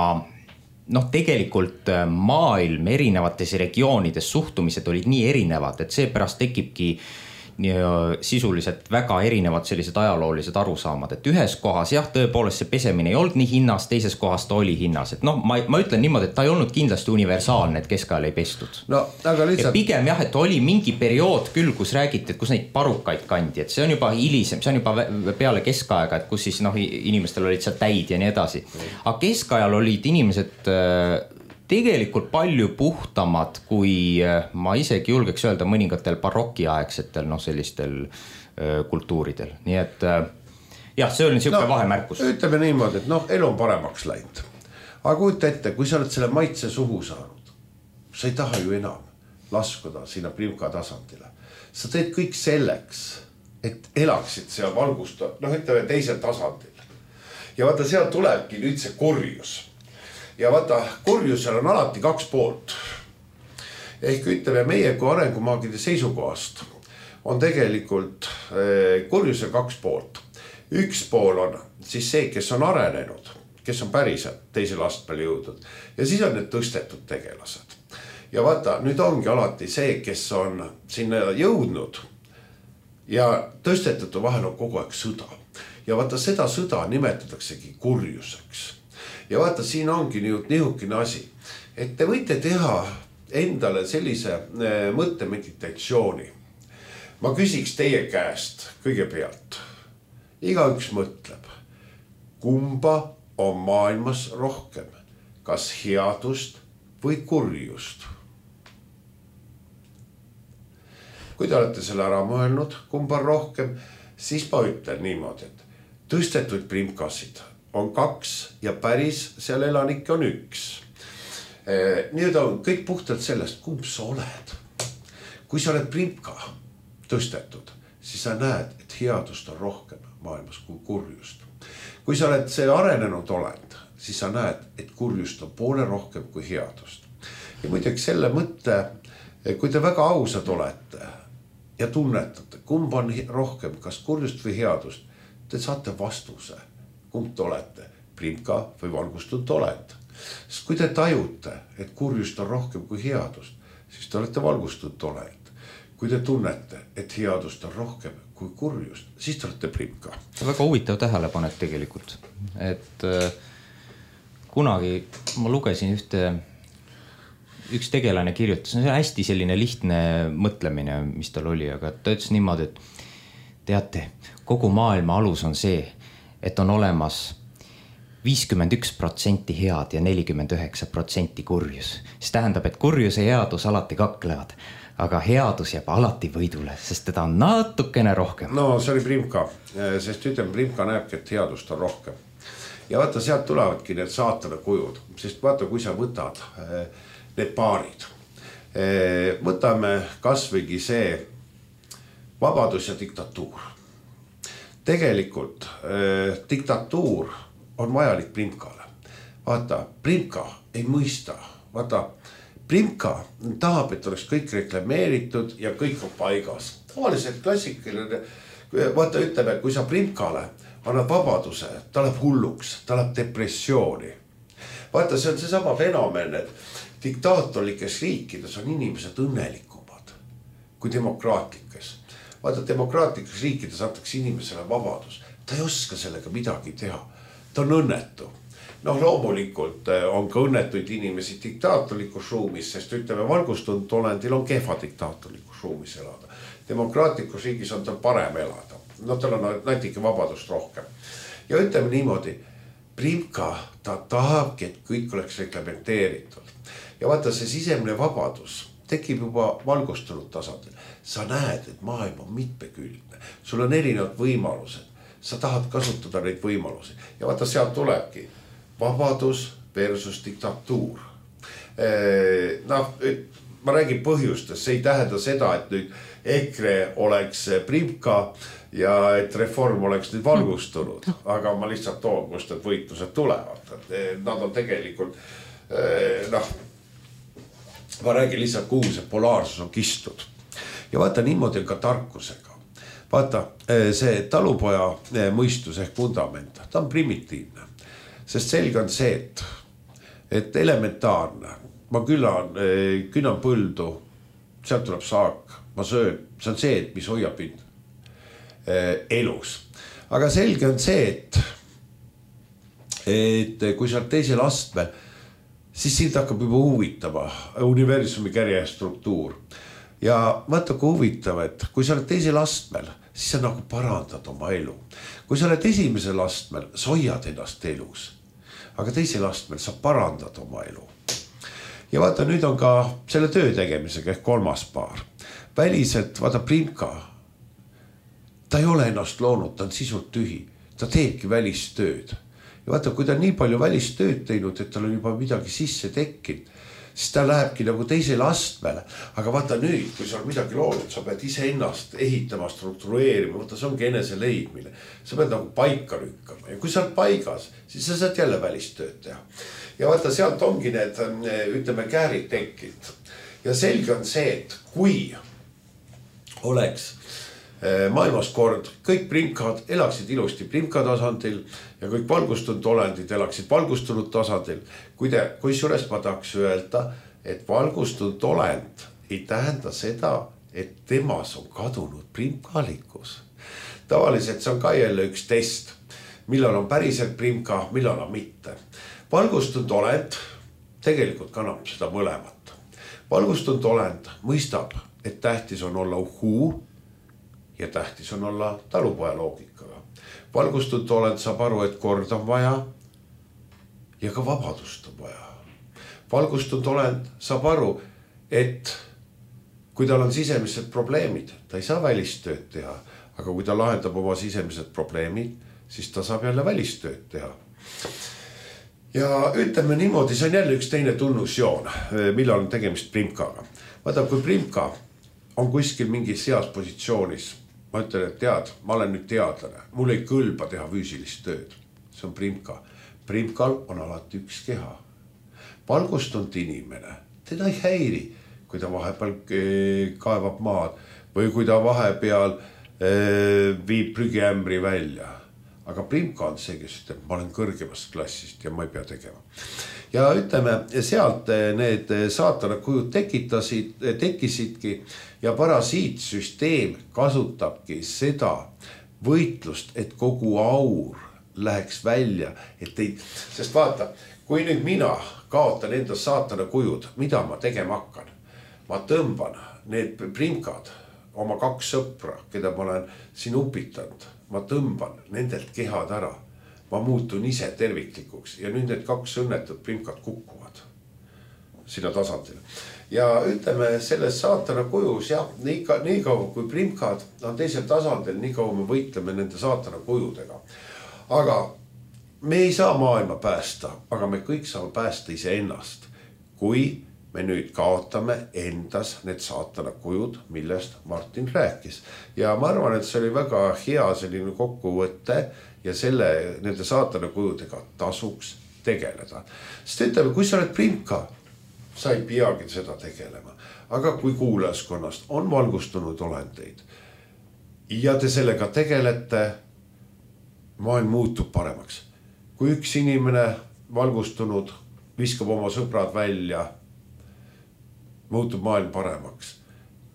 noh, tegelikult maailm erinevates regioonides suhtumised olid nii erinevad, et seepärast tekibki sisuliselt väga erinevad sellised ajaloolised arusaamad, et ühes kohas jah, tõepoolest see pesemine ei olnud nii hinnas, teises kohas ta oli hinnas, et noh, ma, ma ütlen niimoodi, et ta ei olnud kindlasti universaalne, et keskajal ei pestud. No, aga lihtsalt... Ja pigem jah, et oli mingi periood küll, kus räägiti, et kus neid parukaid kandi, et see on juba hilisem, see on juba peale keskaega, et kus siis noh, inimestel olid seal täid ja nii edasi. Aga keskajal olid inimesed tegelikult palju puhtamad, kui ma isegi julgeks öelda mõningatel barokiaegsetel no, sellistel öö, kultuuridel. Nii et jah, see oli niisugune no, vahemärkus. Ütleme niimoodi, et noh, elu on paremaks läinud. Aga kujuta ette, kui sa oled selle maitse suhu saanud, sa ei taha ju enam laskuda sinna Primka tasandile. Sa teed kõik selleks, et elaksid seal valgust, noh ütleme teisel tasandil. Ja vaata, seal tulebki nüüd see kurjus. Ja vaata, kurjusel on alati kaks poolt. Ehk ütleme, meie kui arengumaagide seisukohast on tegelikult kurjusel kaks poolt. Üks pool on siis see, kes on arenenud, kes on päriselt teisel astmel jõudnud. Ja siis on need tõstetud tegelased. Ja vaata, nüüd ongi alati see, kes on sinna jõudnud ja tõstetud vahel on kogu aeg sõda. Ja vaata, seda sõda nimetataksegi kurjuseks. Ja vaata, siin ongi nihukene asi, et te võite teha endale sellise mõttemeditatsiooni. Ma küsiks teie käest kõigepealt. Igaüks mõtleb, kumba on maailmas rohkem, kas headust või kurjust. Kui te olete selle ära mõelnud, kumba on rohkem, siis ma ütlen niimoodi, et tõstetud primkasid on kaks ja päris seal elanikke on üks. Nüüd on kõik puhtalt sellest, kumb sa oled. Kui sa oled Primka tõstetud, siis sa näed, et headust on rohkem maailmas kui kurjust. Kui sa oled see arenenud olend, siis sa näed, et kurjust on poole rohkem kui headust. Ja muidugi selle mõtte, kui te väga ausad olete ja tunnetate, kumb on rohkem, kas kurjust või headust, te saate vastuse. Kumb te olete, Primka või valgustunud olend. Sest kui te tajute, et kurjust on rohkem kui headust, siis te olete valgustunud olend. Kui te tunnete, et headust on rohkem kui kurjust, siis te olete Primka. Väga huvitav tähelepanek tegelikult. Et äh, kunagi ma lugesin ühte, üks tegelane kirjutas, see on hästi selline lihtne mõtlemine, mis tal oli, aga ta ütles niimoodi, et teate, kogu maailma alus on see, et on olemas viiskümmend üks protsenti head ja nelikümmend üheksa protsenti kurjus. See tähendab, et kurjus ja headus alati kaklevad, aga headus jääb alati võidule, sest teda on natukene rohkem. No see oli Primka, sest ütleme, Primka näebki, et headust on rohkem. Ja vaata, sealt tulevadki need saatana kujud, sest vaata, kui sa võtad need paarid. Võtame kasvõigi see vabadus ja diktatuur. Tegelikult eh, diktatuur on vajalik Primkale. Vaata, Primka ei mõista. Vaata, Primka tahab, et oleks kõik reklameeritud ja kõik on paigas. Tavaliselt klassikaline, vaata ütleme, kui sa Primkale annad vabaduse, ta läheb hulluks, ta läheb depressiooni. Vaata, see on see sama fenomen, et diktaatorlikes riikides on inimesed õnnelikumad kui demokraatlikes. Vaata, demokraatlikus riikides antakse inimesele vabadus. Ta ei oska sellega midagi teha. Ta on õnnetu. Noh, loomulikult on ka õnnetuid inimesi diktaatorlikus ruumis, sest ütleme, valgustunud olendil on kehva diktaatorlikus ruumis elada. Demokraatlikus riigis on tal parem elada. No tal on natuke vabadust rohkem. Ja ütleme niimoodi, Primka, ta tahabki, et kõik oleks reglamenteeritud. Ja vaata, see sisemine vabadus tekib juba valgustunud tasandil. Sa näed, et maailm on mitmekülgne. Sul on erinevad võimalused. Sa tahad kasutada neid võimalusi. Ja vaata, sealt tulebki vabadus versus diktatuur. Noh, ma räägin põhjustes. See ei tähenda seda, et nüüd EKRE oleks Primka ja et reform oleks nüüd valgustunud. Aga ma lihtsalt toon, kust need võitlused tulevad. Nad on tegelikult, noh, ma räägin lihtsalt, kuhu see polaarsus on kistud. Ja vaata, niimoodi on ka tarkusega. Vaata, see talupoja mõistus ehk fundament, ta on primitiivne. Sest selge on see, et, et elementaarne. Ma külan, künan põldu, sealt tuleb saak, ma söön. See on see, et mis hoiab mind elus. Aga selge on see, et, et kui sa oled teisel astmel, siis sind hakkab juba huvitama universumi kärjestruktuur. Ja vaata, kui huvitav, et kui sa oled teisel astmel, siis sa nagu parandad oma elu. Kui sa oled esimesel astmel, sa hoiad ennast elus. Aga teisel astmel sa parandad oma elu. Ja vaata, nüüd on ka selle töö tegemisega ehk kolmas paar. Väliselt, vaata, Primka, ta ei ole ennast loonud, ta on sisult tühi. Ta teebki välistööd. Ja vaata, kui ta on nii palju välistööd teinud, et tal on juba midagi sisse tekkinud, siis ta lähebki nagu teisele astmele. Aga vaata nüüd, kui sa on midagi loonud, sa pead ise ennast ehitama, struktureerima, vaata, see ongi enese leidmine. Sa pead nagu paika lükkama. Ja kui sa oled paigas, siis sa saad jälle välistööd teha. Ja vaata, sealt ongi need, ütleme, käärid tekkinud. Ja selge on see, et kui oleks maailmas kord, kõik primkad elaksid ilusti primka tasandil ja kõik valgustunud olendid elaksid valgustunud tasandil. Kui, te, kui sures ma tahaks öelda, et valgustunud olend ei tähenda seda, et temas on kadunud primkalikus. Tavaliselt see on ka jälle üks test, millal on päriselt primka, millal on mitte. Valgustunud olend tegelikult kannab seda mõlemat. Valgustunud olend mõistab, et tähtis on olla uhuu ja tähtis on olla talupoja loogikaga. Valgustunud olend saab aru, et kord on vaja ja ka vabadust on vaja. Valgustunud olend saab aru, et kui tal on sisemised probleemid, ta ei saa välistööd teha, aga kui ta lahendab oma sisemised probleemid, siis ta saab jälle välistööd teha. Ja ütleme niimoodi, see on jälle üks teine tunnusjoon, millal on tegemist primkaga. Vaata, kui primka on kuskil mingis heas positsioonis, ma ütlen, et tead, ma olen nüüd teadlane, mul ei kõlba teha füüsilist tööd. See on primka. Primkal on alati üks keha. Valgustunud inimene, teda ei häiri, kui ta vahepeal kaevab maad või kui ta vahepeal viib prügiämbri välja. Aga primka on see, kes ütleb, ma olen kõrgemast klassist ja ma ei pea tegema. Ja ütleme, sealt need saatana kujud tekitasid, tekkisidki ja parasiitsüsteem kasutabki seda võitlust, et kogu aur läheks välja. Et ei, sest vaata, kui nüüd mina kaotan enda saatana kujud, mida ma tegema hakkan? Ma tõmban need primkad, oma kaks sõpra, keda ma olen siin upitanud. Ma tõmban nendelt kehad ära. Ma muutun ise terviklikuks ja nüüd need kaks õnnetud primkad kukkuvad sinna tasandile. Ja ütleme, selles saatana kujus, jah, nii, ka, nii kaua kui primkad on teisel tasandil, nii kaua me võitleme nende saatana kujudega. Aga me ei saa maailma päästa, aga me kõik saame päästa ise ennast, kui me nüüd kaotame endas need saatana kujud, millest Martin rääkis. Ja ma arvan, et see oli väga hea selline kokkuvõte ja selle, nende saatana kujudega tasuks tegeleda. Sest ütleme, kui sa oled primka, sa ei peagi seda tegelema. Aga kui kuulajaskonnast on valgustunud olendeid ja te sellega tegelete, maailm muutub paremaks. Kui üks inimene valgustunud viskab oma sõbrad välja, muutub maailm paremaks.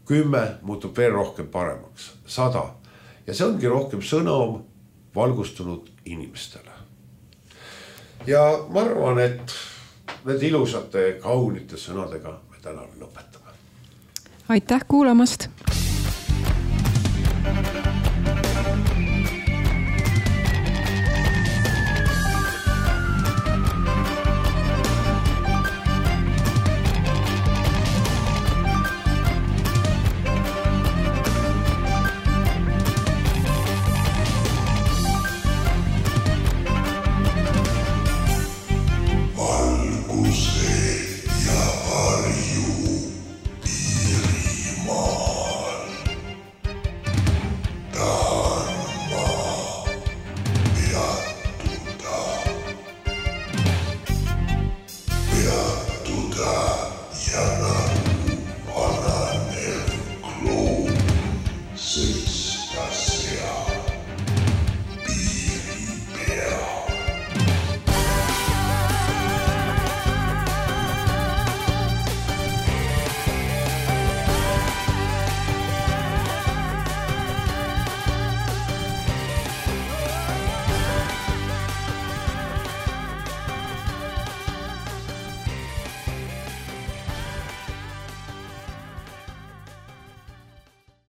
Kümme muutub veel rohkem paremaks. Sada. Ja see ongi rohkem sõnum valgustunud inimestele. Ja ma arvan, et need ilusate kaunite sõnadega me täna lõpetame. Aitäh kuulamast!